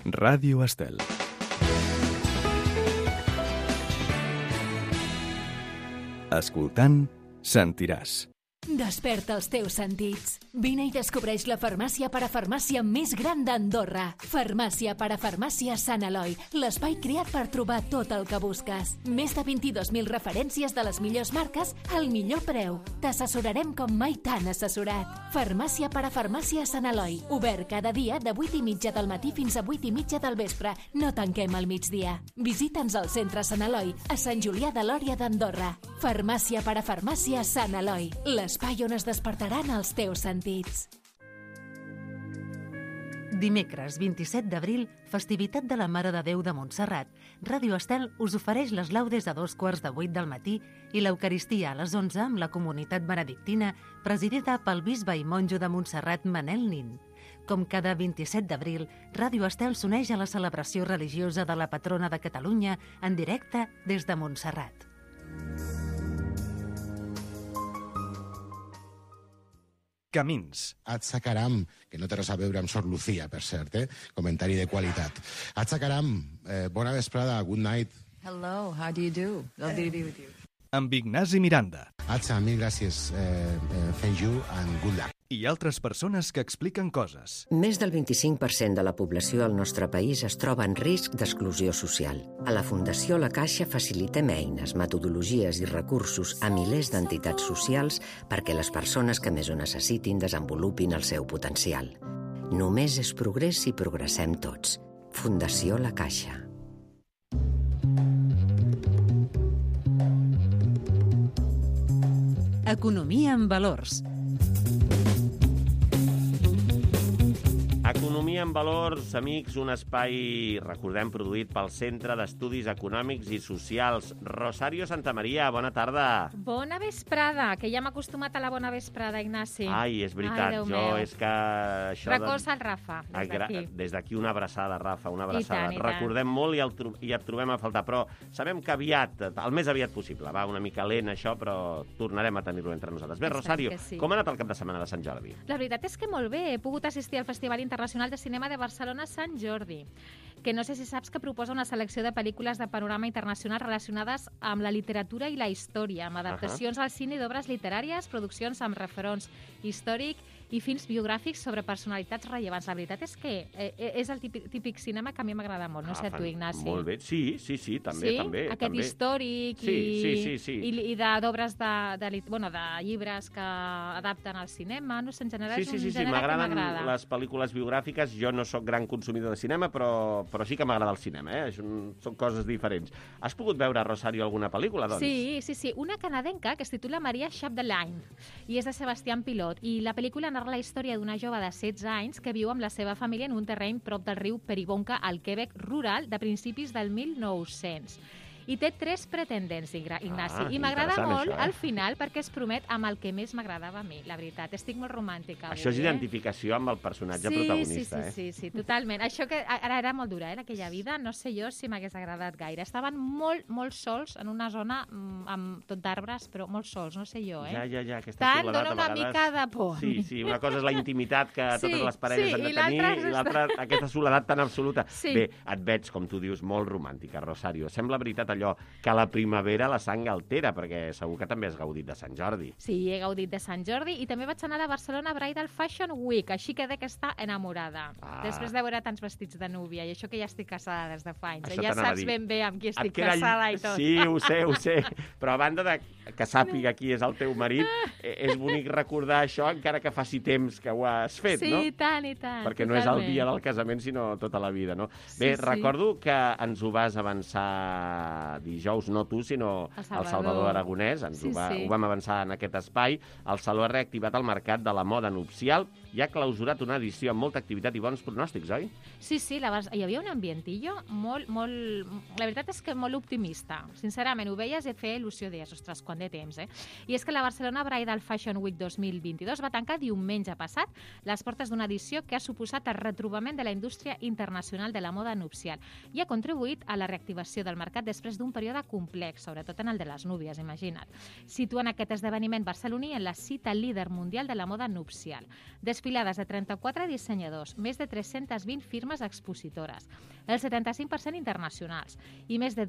Ràdio Estel. Escoltant, sentiràs. Desperta els teus sentits. Vine i descobreix la farmàcia parafarmàcia més gran d'Andorra. Farmàcia parafarmàcia Sant Eloi, l'espai creat per trobar tot el que busques. Més de vint-i-dos mil referències de les millors marques al millor preu. T'assessorarem com mai t'han assessorat. Farmàcia parafarmàcia Sant Eloi, obert cada dia de vuit i mitja del matí fins a vuit i mitja del vespre. No tanquem al migdia. Visita'ns al centre Sant Eloi, a Sant Julià de Lòria d'Andorra. Farmàcia parafarmàcia Sant Eloi, l'espai on es despertaran els teus sentits. Dimecres vint-i-set d'abril, festivitat de la Mare de Déu de Montserrat, Ràdio Estel us ofereix les laudes a dos quarts de vuit del matí i l'Eucaristia a les onze amb la comunitat benedictina presidida pel bisbe i monjo de Montserrat Manel Nin. Com cada vint-i-set d'abril, Ràdio Estel s'uneix a la celebració religiosa de la patrona de Catalunya en directe des de Montserrat. Camins. Atzacaram, que no té res a veure amb Sor Lucía, per cert, eh? Comentari de qualitat. Atzacaram, eh, bona vesprada, good night. Hello, how do you do? Lovely to be with you. Amb Ignasi Miranda. Atza, mil gràcies. Eh, eh, thank you and good luck. I altres persones que expliquen coses. Més del vint-i-cinc per cent de la població al nostre país es troba en risc d'exclusió social. A la Fundació La Caixa facilitem eines, metodologies i recursos a milers d'entitats socials perquè les persones que més ho necessitin desenvolupin el seu potencial. Només és progrés si progressem tots. Fundació La Caixa. Economia en valors. Economia en valors, amics, un espai, recordem, produït pel Centre d'Estudis Econòmics i Socials. Rosario Santamaria, bona tarda. Bona vesprada, que ja m'ha acostumat a la bona vesprada, Ignasi. Ai, és veritat, Ai, jo meu. és que... Això Recolza el Rafa, des d'aquí. Des d'aquí una abraçada, Rafa, una abraçada. I tant, i tant. Recordem molt i, el tro i et trobem a faltar, però sabem que aviat, el més aviat possible, va una mica lent això, però tornarem a tenir-ho entre nosaltres. Bé, Rosario, sí. com ha anat el cap de setmana de Sant Jordi? La veritat és que molt bé. He pogut assistir al Festival Internacional de Cinema de Barcelona Sant Jordi, que no sé si saps que proposa una selecció de pel·lícules de panorama internacional relacionades amb la literatura i la història, amb adaptacions uh -huh. al cine d'obres literàries, produccions amb referents històric i films biogràfics sobre personalitats rellevants. La veritat és que eh, és el típic, típic cinema que a mi m'agrada molt. No sé, ah, tu, Ignasi. Molt bé. Sí, sí, sí, també. Sí? també Aquest també. històric sí, i, sí, sí, sí. i, i d'obres de, de, bueno, de llibres que adapten al cinema. No sé, en general Sí, és sí, un sí, sí. gènere que M'agraden m'agrada. les pel·lícules biogràfiques. Jo no sóc gran consumidor de cinema, però, però sí que m'agrada el cinema, eh? Són, són coses diferents. Has pogut veure, Rosario, alguna pel·lícula, doncs? Sí, sí, sí. Una canadenca que es titula Maria Chapdelaine i és de Sebastián Pilot. I la pel·lícula narra la història d'una jove de setze anys que viu amb la seva família en un terreny prop del riu Peribonka, al Quebec rural, de principis del mil nou-cents. I té tres pretendents, Ignasi. Ah, I m'agrada molt això, eh? al final perquè es promet amb el que més m'agradava a mi, la veritat. Estic molt romàntica avui, Això és eh? identificació amb el personatge sí, protagonista, sí, eh? sí, sí, sí, totalment. Això que ara era molt dura, eh, aquella vida, no sé jo si m'hagués agradat gaire. Estaven molt, molt sols en una zona mm, amb tot d'arbres, però molt sols, no sé jo, eh? Ja, ja, ja, aquesta Tant, soledat dona a una vegades... mica de por. Sí, sí, una cosa és la intimitat que Sí, totes les parelles sí, han de i tenir l'altra i l'altra, aquesta soledat tan absoluta. Sí. Bé, et veig, com tu dius, molt romàntica, Rosario. Sembla veritat allò que la primavera la sang altera, perquè segur que també has gaudit de Sant Jordi. Sí, he gaudit de Sant Jordi i també vaig anar a la Barcelona Bridal Fashion Week, així que de que està enamorada. Ah. Després de veure tants vestits de núvia, i això que ja estic casada des de fa anys. Això Ja t'anava a saps dir. ben bé amb qui estic Et queda ll- casada i tot. Sí, ho sé, ho sé. Però a banda de que sàpiga qui és el teu marit, eh, és bonic recordar això encara que faci temps que ho has fet, sí, no? i tant, i tant. Perquè no és el totalment. dia del casament, sinó tota la vida, no? Sí, Bé, sí. recordo que ens ho vas avançar dijous, no tu, sinó El el Salvador. Salvador Aragonès. Ens Sí, ho, va, sí. ho vam avançar en aquest espai. El Saló ha reactivat el mercat de la moda nupcial i ha clausurat una edició amb molta activitat i bons pronòstics, oi? Sí, sí, la, Bar- hi havia un ambientillo molt, molt... La veritat és que molt optimista. Sincerament, ho veies i et feia il·lusió, deies, ostres, quant de temps, eh? I és que la Barcelona Bridal Fashion Week dos mil vint-i-dos va tancar diumenge passat les portes d'una edició que ha suposat el retrobament de la indústria internacional de la moda nupcial i ha contribuït a la reactivació del mercat després d'un període complex, sobretot en el de les núvies, imagina't. Situen aquest esdeveniment barceloní en la cita líder mundial de la moda nupcial. Desfilades de trenta-quatre dissenyadors, més de tres-centes vint firmes expositores, el setanta-cinc per cent internacionals i més de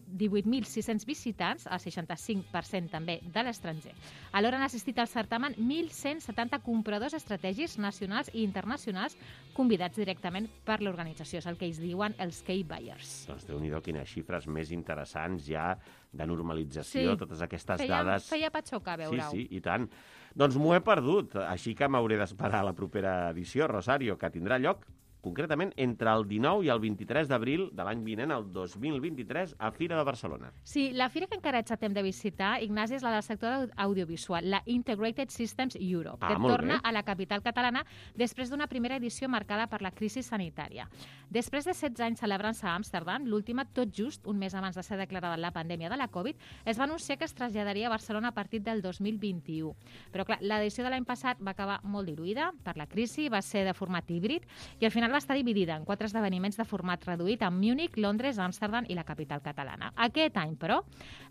divuit mil sis-cents visitants, el seixanta-cinc per cent també de l'estranger. Alhora han assistit al certamen mil cent setanta compradors estratègics nacionals i internacionals convidats directament per l'organització. És el que ells diuen els key buyers. Doncs Déu-n'hi-do, quines xifres més interessants ja de normalització, Sí. totes aquestes Feia, dades... feia patxoca veure-ho. Sí, sí, i tant. Doncs m'ho he perdut, així que m'hauré d'esperar a la propera edició, Rosario, que tindrà lloc concretament entre el dinou i el vint-i-tres d'abril de l'any vinent, el dos mil vint-i-tres, a Fira de Barcelona. Sí, la fira que encara ets a temps de visitar, Ignasi, és la del sector audiovisual, la Integrated Systems Europe, Ah, que molt torna bé. a la capital catalana després d'una primera edició marcada per la crisi sanitària. Després de setze anys celebrant-se a Amsterdam, l'última, tot just un mes abans de ser declarada la pandèmia de la Covid, es va anunciar que es traslladaria a Barcelona a partir del dos mil vint-i-u. Però, clar, l'edició de l'any passat va acabar molt diluïda per la crisi, va ser de format híbrid i al final va estar dividida en quatre esdeveniments de format reduït a Múnich, Londres, Amsterdam i la capital catalana. Aquest any, però,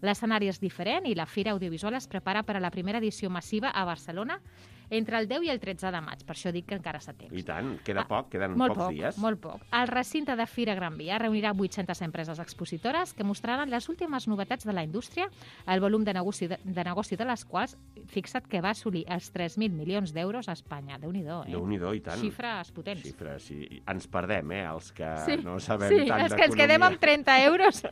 l'escenari és diferent i la Fira Audiovisual es prepara per a la primera edició massiva a Barcelona entre el deu i el tretze de maig. Per això dic que encara s'ha temps. I tant, queda poc, queden Molt pocs poc, dies. molt poc. El recinte de Fira Gran Via reunirà vuit-centes empreses expositores que mostraran les últimes novetats de la indústria, el volum de negoci de, de, negoci de les quals, fixa't que va assolir els tres mil milions d'euros a Espanya. Déu-n'hi-do, eh? Déu-n'hi-do, i tant. Xifres potents. Xifres, sí. Ens perdem, eh, els que Sí, no sabem sí, tant els que ens quedem amb trenta euros.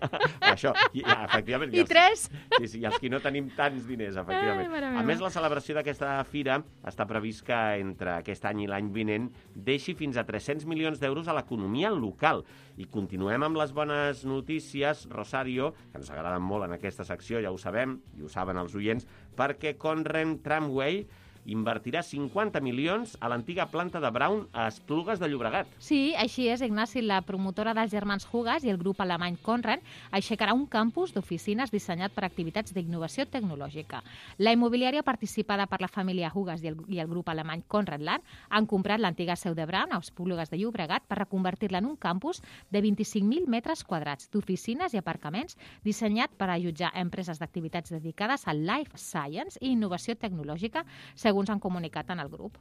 Això, i, ja, efectivament. I els- tres. Sí, sí, i els que no tenim tants diners, efectivament. Ai, mare A meva. més, la celebració d'aquesta fira està previst que entre aquest any i l'any vinent deixi fins a tres-cents milions d'euros a l'economia local. I continuem amb les bones notícies, Rosario, que ens agraden molt en aquesta secció, ja ho sabem, i ho saben els oients, perquè Conrad Tramway invertirà cinquanta milions a l'antiga planta de Braun a Esplugues de Llobregat. Sí, així és, Ignasi. La promotora dels germans Hugas i el grup alemany Conrad aixecarà un campus d'oficines dissenyat per activitats d'innovació tecnològica. La immobiliària participada per la família Hugas i el, i el grup alemany Conrad Land han comprat l'antiga seu de Braun a Esplugues de Llobregat per reconvertir-la en un campus de vint-i-cinc mil metres quadrats d'oficines i aparcaments dissenyat per allotjar empreses d'activitats dedicades al life science i innovació tecnològica, segons han comunicat en el grup.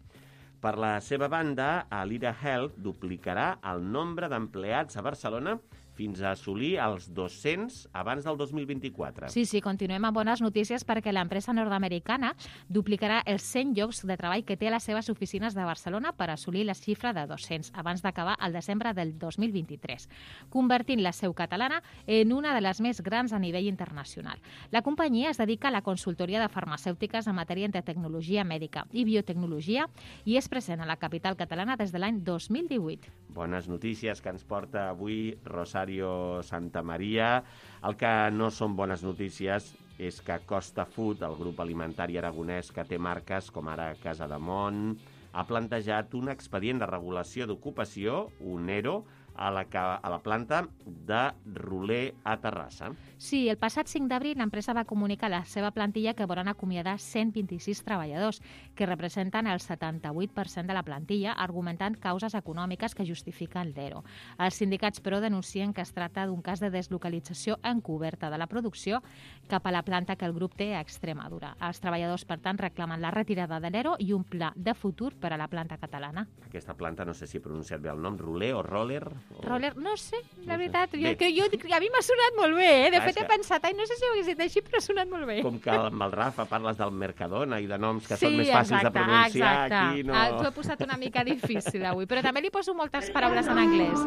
Per la seva banda, Alira Health duplicarà el nombre d'empleats a Barcelona fins a assolir els dos-cents abans del dos mil vint-i-quatre. Sí, sí, continuem amb bones notícies perquè l'empresa nord-americana duplicarà els cent llocs de treball que té a les seves oficines de Barcelona per assolir la xifra de dos-cents abans d'acabar el desembre del dos mil vint-i-tres, convertint la seu catalana en una de les més grans a nivell internacional. La companyia es dedica a la consultoria de farmacèutiques en matèria de tecnologia mèdica i biotecnologia i és present a la capital catalana des de l'any dos mil divuit. Bones notícies que ens porta avui Rosario Santamaria. El que no són bones notícies és que Costa Food, el grup alimentari aragonès que té marques com ara Casa de Mont, ha plantejat un expedient de regulació d'ocupació, un ERO, a la, a la planta de Roler a Terrassa. Sí, el passat cinc d'abril l'empresa va comunicar a la seva plantilla que volen acomiadar cent vint-i-sis treballadors, que representen el setanta-vuit per cent de la plantilla, argumentant causes econòmiques que justifiquen l'ERO. Els sindicats, però, denuncien que es tracta d'un cas de deslocalització encoberta de la producció cap a la planta que el grup té a Extremadura. Els treballadors, per tant, reclamen la retirada de l'ERO i un pla de futur per a la planta catalana. Aquesta planta, no sé si he pronunciat bé el nom, Roler o Roller? O... Roller, no sé, la no veritat. Sé. Jo, que jo, a mi m'ha sonat molt bé, eh? De ah, fet, he pensat, ai, no sé si ho hagués dit així, però ha sonat molt bé. Com que amb el Rafa parles del Mercadona i de noms que sí, són més fàcils exacte, de pronunciar, exacte. aquí no... Ah, t'ho he posat una mica difícil avui, però també li poso moltes paraules en anglès.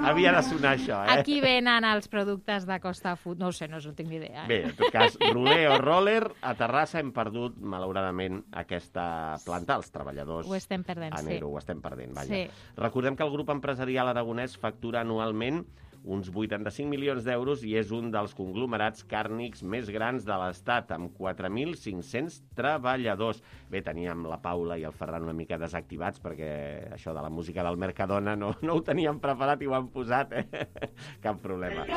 Havia de sonar això, eh? Aquí venen els productes de Costa Food, no ho sé, no, no tinc ni idea. Eh? Bé, en tot cas, Roler o Roller, a Terrassa hem perdut, malauradament, aquesta planta, els treballadors... Ho estem perdent, sí. Ho estem perdent, vaja. Sí. Recordem que el grup empresarial aragonès factura anualment uns vuitanta-cinc milions d'euros i és un dels conglomerats càrnics més grans de l'Estat, amb quatre mil cinc-cents treballadors. Bé, teníem la Paula i el Ferran una mica desactivats perquè això de la música del Mercadona no, no ho teníem preparat i ho han posat, eh? Cap problema.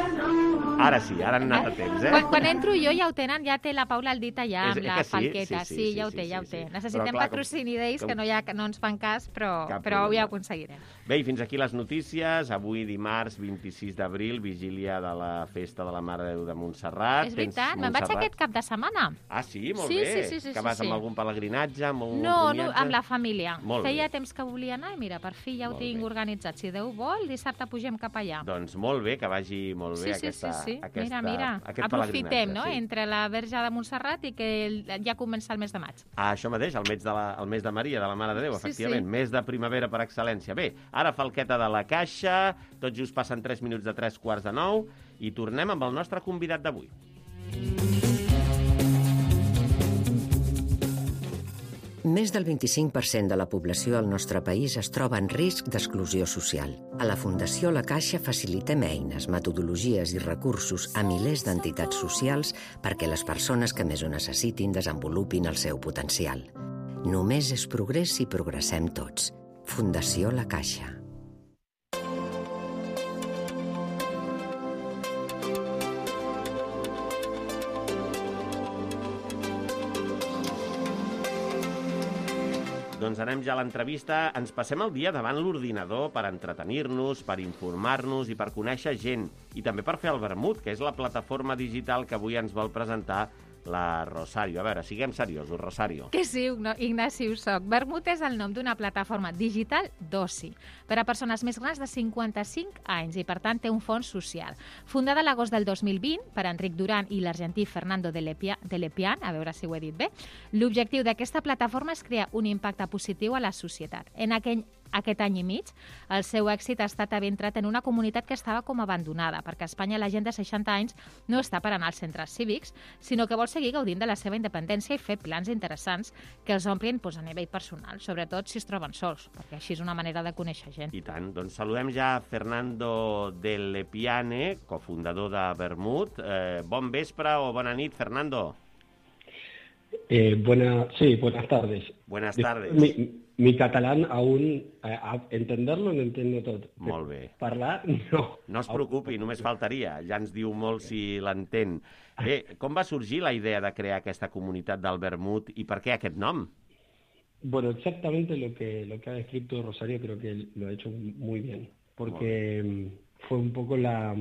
Ara sí, ara han anat a temps, eh? Quan, quan entro jo ja ho tenen, ja té la Paula el dit allà amb és, la sí? falqueta. Sí, sí, Sí, sí, ja ho sí, té, ja sí, ho té. sí. Necessitem Però, clar, patrocini d'ells com... que no, hi ha, no ens fan cas, però, però ja ho aconseguirem. Bé, i fins aquí les notícies. Avui, dimarts, vint-i-sis d'abril, vigília de la Festa de la Mare de Déu de Montserrat. És veritat, me'n vaig aquest cap de setmana. Ah, sí? Molt sí, bé. Sí, sí, sí, que vas sí, amb sí. algun pelegrinatge, amb algun no, comiatge? No, amb la família. Molt Feia bé. temps que volia anar i mira, per fi ja ho Molt tinc bé. organitzat. Si Déu vol, dissabte pugem cap allà. Doncs molt bé, que vagi molt bé sí, sí, aquesta, sí, sí. aquesta, mira, mira. aquest aprofitem, no?, sí. entre la Verge de Montserrat i que ja comença el mes de maig. Ah, això mateix, el mes de, la, el mes de Maria, de la Mare de Déu, sí, efectivament. Sí. Mes de primavera per excel·lència. Bé, ara falqueta de la caixa, tot just passen tres minuts de tres quarts de nou i tornem amb el nostre convidat d'avui. Més del vint-i-cinc per cent de la població al nostre país es troba en risc d'exclusió social. A la Fundació La Caixa facilitem eines, metodologies i recursos a milers d'entitats socials perquè les persones que més ho necessitin desenvolupin el seu potencial. Només és progrés si progressem tots. Fundació La Caixa. Doncs anem ja a l'entrevista. Ens passem el dia davant l'ordinador per entretenir-nos, per informar-nos i per conèixer gent. I també per fer el vermut, que és la plataforma digital que avui ens vol presentar la Rosario. A veure, siguem seriosos, Rosario. Que sí, Ignasi, ho soc. Vermut és el nom d'una plataforma digital d'oci per a persones més grans de cinquanta-cinc anys i, per tant, té un fons social. Fundada a l'agost del dos mil vint per Enric Duran i l'argentí Fernando de Lepian, a veure si ho he dit bé, l'objectiu d'aquesta plataforma és crear un impacte positiu a la societat. En aquell Aquest any i mig, el seu èxit ha estat haver entrat en una comunitat que estava com abandonada, perquè a Espanya la gent de seixanta anys no està per anar als centres cívics, sinó que vol seguir gaudint de la seva independència i fer plans interessants que els omplin doncs, a nivell personal, sobretot si es troben sols, perquè així és una manera de conèixer gent. I tant. Doncs saludem ja Fernando de Lepiane, cofundador de Vermut. Eh, bon vespre o bona nit, Fernando. Eh, buena, sí, buenas tardes. Buenas tardes. Mi, mi catalán aún, a, a entenderlo no entiendo tot. Molt bé. Parlar, no. No es preocupi, només faltaria. Ja ens diu molt si l'entén. Bé, com va sorgir la idea de crear aquesta comunitat del vermut i per què aquest nom? Bueno, exactamente lo que, lo que ha descrito Rosario creo que lo ha hecho muy bien. Porque bueno. fue un poco la...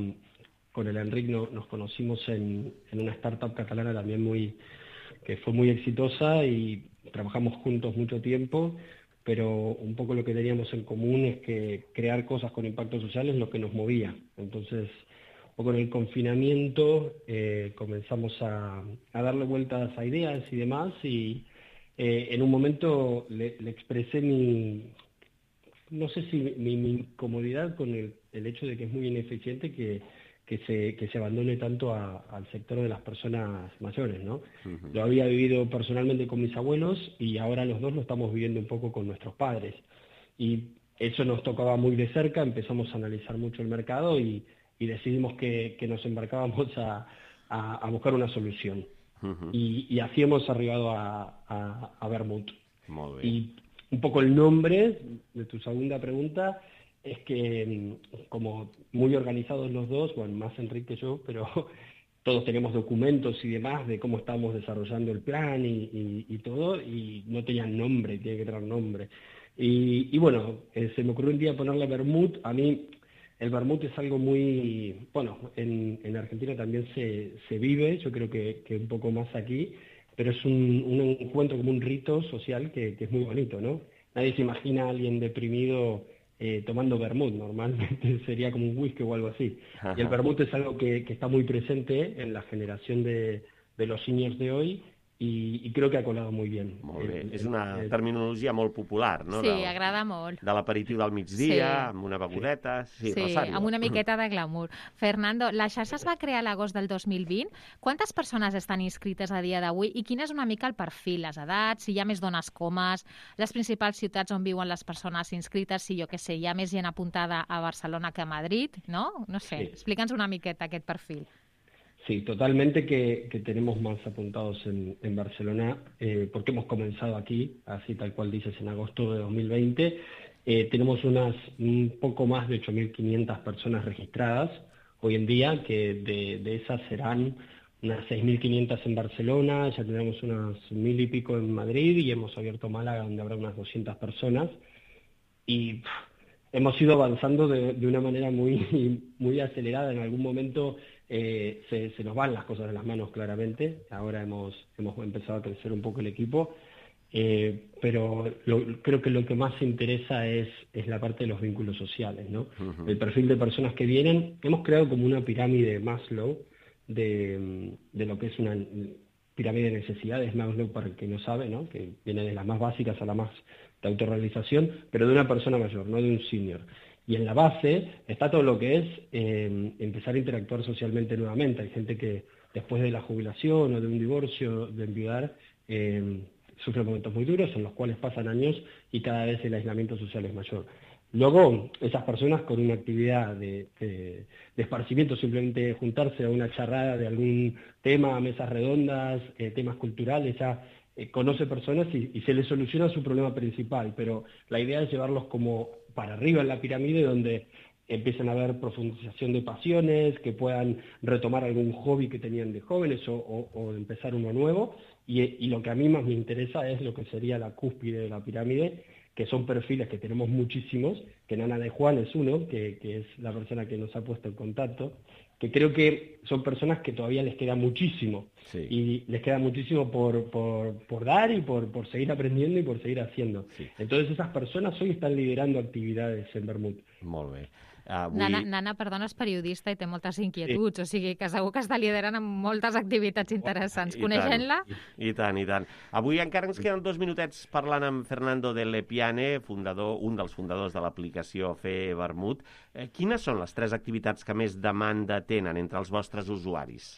Con el Enric no, nos conocimos en, en una startup catalana también muy... que fue muy exitosa y trabajamos juntos mucho tiempo, pero un poco lo que teníamos en común es que crear cosas con impacto social es lo que nos movía. Entonces, un poco en el confinamiento eh, comenzamos a, a darle vueltas a ideas y demás, y eh, en un momento le, le expresé mi, no sé si mi, mi incomodidad con el, el hecho de que es muy ineficiente que que se, que se abandone tanto a, al sector de las personas mayores, ¿no? Uh-huh. Lo había vivido personalmente con mis abuelos y ahora los dos lo estamos viviendo un poco con nuestros padres. Y eso nos tocaba muy de cerca, empezamos a analizar mucho el mercado y, y decidimos que, que nos embarcábamos a, a, a buscar una solución. Uh-huh. Y, y así hemos arribado a, a, a Vermut. Molt bé. Y un poco el nombre de tu segunda pregunta... es que como muy organizados los dos, bueno, más Enrique que yo, pero todos tenemos documentos y demás de cómo estamos desarrollando el plan y, y, y todo, y no tenían nombre, tiene que tener nombre. Y, y bueno, eh, se me ocurrió un día ponerle vermut. A mí el vermut es algo muy, bueno, en, en Argentina también se, se vive, yo creo que, que un poco más aquí, pero es un, un encuentro como un rito social que, que es muy bonito, ¿no? Nadie se imagina a alguien deprimido Eh, tomando vermut, normalmente sería como un whisky o algo así. Ajá. Y el vermut es algo que, que está muy presente en la generación de, de los seniors de hoy i, i crec que ha colat molt bé. Molt bé. El, és una el, terminologia molt popular, no? Sí, del, agrada molt. De l'aperitiu del migdia, sí. amb una begudet... Sí, sí, Rosario. Amb una miqueta de glamour. Fernando, la xarxa es va crear a l'agost del dos mil vint. Quantes persones estan inscrites a dia d'avui i quin és una mica el perfil, les edats, si hi ha més dones que homes, les principals ciutats on viuen les persones inscrites, si jo què sé, hi ha més gent apuntada a Barcelona que a Madrid, no? No sé, sí. Explica'ns una miqueta aquest perfil. Sí, totalmente que, que tenemos más apuntados en, en Barcelona, eh, porque hemos comenzado aquí, así tal cual dices, en agosto de dos mil veinte. Eh, tenemos unas un poco más de ocho mil quinientas personas registradas hoy en día, que de, de esas serán unas seis mil quinientas en Barcelona, ya tenemos unas mil y pico en Madrid y hemos abierto Málaga, donde habrá unas doscientas personas. Y pff, hemos ido avanzando de, de una manera muy, muy acelerada. En algún momento eh, se, se nos van las cosas de las manos, claramente. Ahora hemos, hemos empezado a crecer un poco el equipo, eh, pero lo, creo que lo que más interesa es, es la parte de los vínculos sociales, ¿no? Uh-huh. El perfil de personas que vienen. Hemos creado como una pirámide Maslow de, de lo que es una pirámide de necesidades, Maslow, para el que no sabe, ¿no? Que viene de las más básicas a la más de autorrealización, pero de una persona mayor, no de un senior. Y en la base está todo lo que es eh, empezar a interactuar socialmente nuevamente. Hay gente que después de la jubilación o de un divorcio, de enviudar, eh, sufre momentos muy duros en los cuales pasan años y cada vez el aislamiento social es mayor. Luego, esas personas con una actividad de, de, de esparcimiento, simplemente juntarse a una charrada de algún tema, mesas redondas, eh, temas culturales, ya eh, conoce personas y, y se les soluciona su problema principal, pero la idea es llevarlos como para arriba en la pirámide, donde empiezan a haber profundización de pasiones, que puedan retomar algún hobby que tenían de jóvenes o, o, o empezar uno nuevo, y, y lo que a mí más me interesa es lo que sería la cúspide de la pirámide, que son perfiles que tenemos muchísimos, que Nana de Juan es uno, que, que es la persona que nos ha puesto en contacto, que creo que son personas que todavía les queda muchísimo, sí. Y les queda muchísimo por, por, por dar y por, por seguir aprendiendo y por seguir haciendo. Sí. Entonces esas personas hoy están liderando actividades en Vermut. Molt bé. Avui... Nana, Nana, perdona, és periodista i té moltes inquietuds, sí. O sigui que segur que està liderant amb moltes activitats interessants. Coneixent-la? I, I tant, i tant. Avui encara ens queden dos minutets parlant amb Fernando de Lepiane, fundador, un dels fundadors de l'aplicació Fer Vermut. Eh, quines són les tres activitats que més demanda tenen entre els vostres usuaris?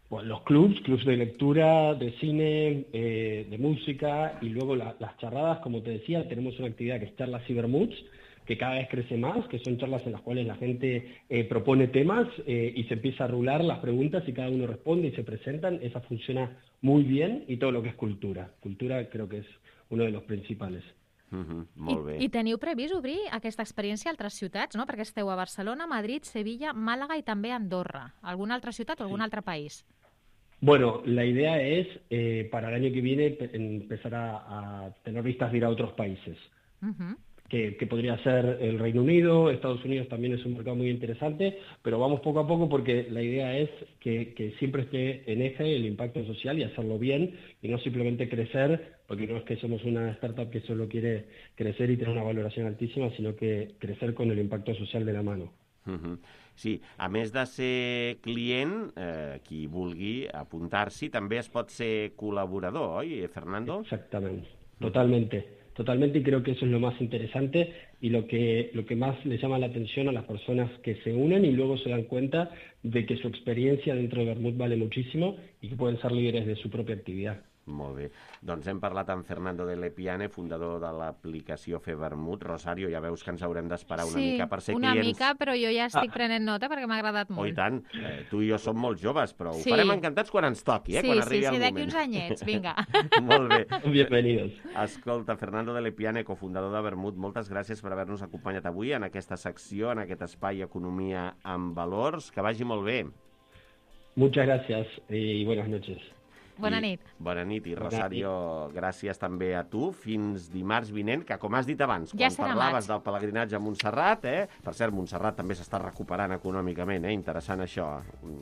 Bueno, los clubs, clubs de lectura, de cine, eh, de música, y luego la, las charradas, como te decía, tenemos una actividad que es Charlas y Vermuts, que cada vez crece más, que son charlas en las cuales la gente eh, propone temas eh, y se empieza a rular las preguntas y cada uno responde y se presentan. Esa funciona muy bien, y todo lo que es cultura. Cultura creo que es uno de los principales. Uh-huh, molt bé. I, I teniu previst obrir aquesta experiència a altres ciutats, no? Perquè esteu a Barcelona, Madrid, Sevilla, Màlaga i també Andorra. Alguna altra ciutat o algun altre país? Bueno, la idea es, eh, para el año que viene, empezar a, a tener vistas de ir a otros países. Uh-huh. Que, que podría ser el Reino Unido, Estados Unidos también es un mercado muy interesante, pero vamos poco a poco porque la idea es que, que siempre esté en eje el impacto social y hacerlo bien, y no simplemente crecer, porque no es que somos una startup que solo quiere crecer y tener una valoración altísima, sino que crecer con el impacto social de la mano. Uh-huh. Sí, a més de ser client, eh, qui vulgui apuntar-s'hi, també es pot ser col·laborador, oi, Fernando? Exactament, totalmente. Totalmente, y creo que eso es lo más interesante y lo que, lo que más le llama la atención a las personas que se unen y luego se dan cuenta de que su experiencia dentro de Vermut vale muchísimo y que pueden ser líderes de su propia actividad. Molt bé. Doncs hem parlat amb Fernando de Lepiane, fundador de l'aplicació Fer Vermut. Rosario, ja veus que ens haurem d'esperar una sí, mica per ser una clients. mica, però jo ja estic ah. prenent nota perquè m'ha agradat molt. Oh, i tant. Eh, tu i jo som molt joves, però sí. ho farem encantats quan ens toqui, eh? Sí, quan arribi sí, el sí, moment. d'aquí uns anyets, vinga. Molt bé. Bienvenidos. Escolta, Fernando de Lepiane, cofundador de Vermut, moltes gràcies per haver-nos acompanyat avui en aquesta secció, en aquest espai Economia amb Valors. Que vagi molt bé. Muchas gracias y buenas noches. Bona nit. I, bona nit. I, Rosario, gràcies també a tu. Fins dimarts vinent, que com has dit abans, ja quan parlaves del pelegrinatge a Montserrat, eh? Per cert, Montserrat també s'està recuperant econòmicament, eh? Interessant això.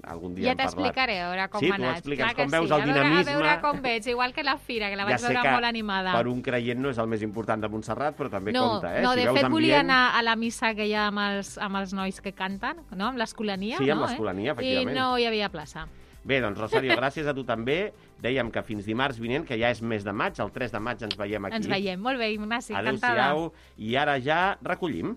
Algun dia ja hem parlat. Ja t'explicaré, a veure com sí, ha anat. Sí, tu explica'ns com sí. veus el dinamisme. A veure, a veure com veig, igual que la fira, que la vaig ja veure molt animada. Per un creient no és el més important de Montserrat, però també no, compta, eh? No, si de veus fet ambient... volia anar a la missa que hi ha amb els, amb els nois que canten, no? Amb l'escolania, sí, no? amb l'escolania, eh? efectivament. I no hi havia plaça. Bé, doncs, Rosario, gràcies a tu també. Dèiem que fins dimarts vinent, que ja és mes de maig, el tres de maig ens veiem aquí. Ens veiem, molt bé, Ignasi, encantada. Adéu-siau, i ara ja recollim.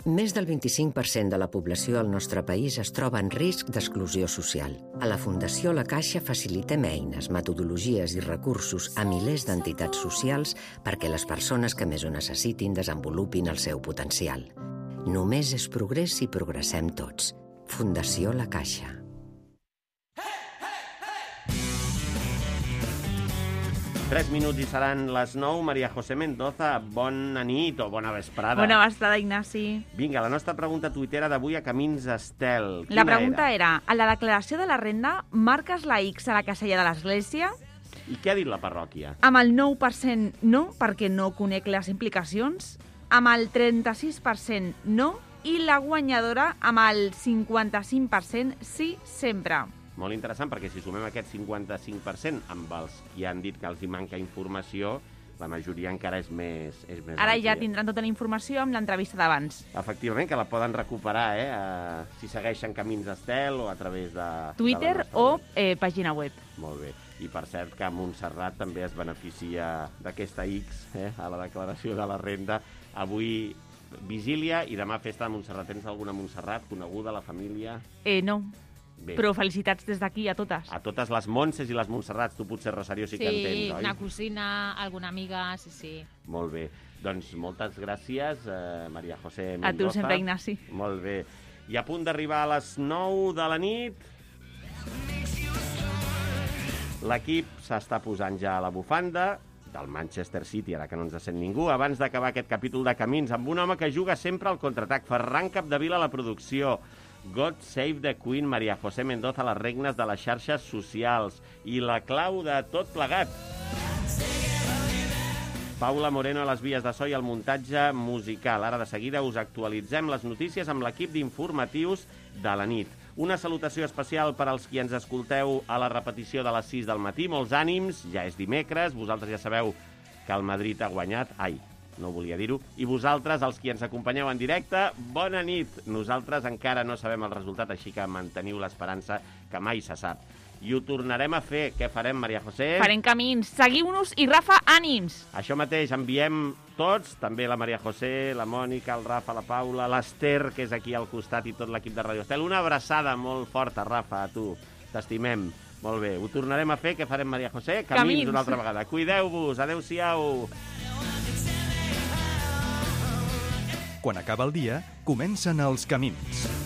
Més del vint-i-cinc per cent de la població del nostre país es troba en risc d'exclusió social. A la Fundació La Caixa facilitem eines, metodologies i recursos a milers d'entitats socials perquè les persones que més ho necessitin desenvolupin el seu potencial. Només és progrés si progressem tots. Fundació La Caixa. Tres minuts i seran les nou. Maria José Mendoza, bona nit o bona vesprada. Bona vesprada, Ignasi. Vinga, la nostra pregunta tuitera d'avui a Camins Estel. La pregunta era? era, a la declaració de la renda, marques la X a la casella de l'església? I què ha dit la parròquia? Amb el nou per cent no, perquè no conec les implicacions. Amb el trenta-sis per cent no, i la guanyadora amb el cinquanta-cinc per cent sí sempre. Molt interessant, perquè si sumem aquest cinquanta-cinc per cent amb els que han dit que els hi manca informació, la majoria encara és més, és més Ara àmplia. ja tindran tota la informació amb l'entrevista d'abans. Efectivament, que la poden recuperar, eh? Uh, si segueixen Camins Estel o a través de... Twitter de o eh, pàgina web. Molt bé. I per cert que Montserrat també es beneficia d'aquesta X, eh? A la declaració de la renda. Avui vigília i demà festa de Montserrat. Tens alguna Montserrat coneguda, la família? Eh, no. Bé. Però felicitats des d'aquí a totes. A totes les Montses i les Montserrats, tu potser, Rosario, sí, sí que entens, oi? Sí, una cosina, alguna amiga, sí, sí. Molt bé. Doncs moltes gràcies, eh, Maria José Mendoza. A tu sempre, Ignasi. Molt bé. I a punt d'arribar a les nou de la nit, l'equip s'està posant ja a la bufanda del Manchester City, ara que no ens sent ningú, abans d'acabar aquest capítol de Camins, amb un home que juga sempre al contraatac. Ferran Capdevila a la producció. God Save the Queen, Maria José Mendoza a les regnes de les xarxes socials. I la clau de tot plegat. Paula Moreno a les vies de so i al muntatge musical. Ara de seguida us actualitzem les notícies amb l'equip d'informatius de la nit. Una salutació especial per als qui ens escolteu a la repetició de les sis del matí. Molts ànims, ja és dimecres, vosaltres ja sabeu que el Madrid ha guanyat. Ai, no volia dir-ho. I vosaltres, els qui ens acompanyeu en directe, bona nit. Nosaltres encara no sabem el resultat, així que manteniu l'esperança, que mai se sap. I ho tornarem a fer. Què farem, Maria José? Farem Camins. Seguiu-nos i, Rafa, ànims! Això mateix, enviem tots, també la Maria José, la Mònica, el Rafa, la Paula, l'Ester, que és aquí al costat, i tot l'equip de Radio Estel. Una abraçada molt forta, Rafa, a tu. T'estimem. Molt bé, ho tornarem a fer. Què farem, Maria José? Camins, Camins. una altra vegada. Cuideu-vos, adeu-siau. Quan acaba el dia, comencen els camins.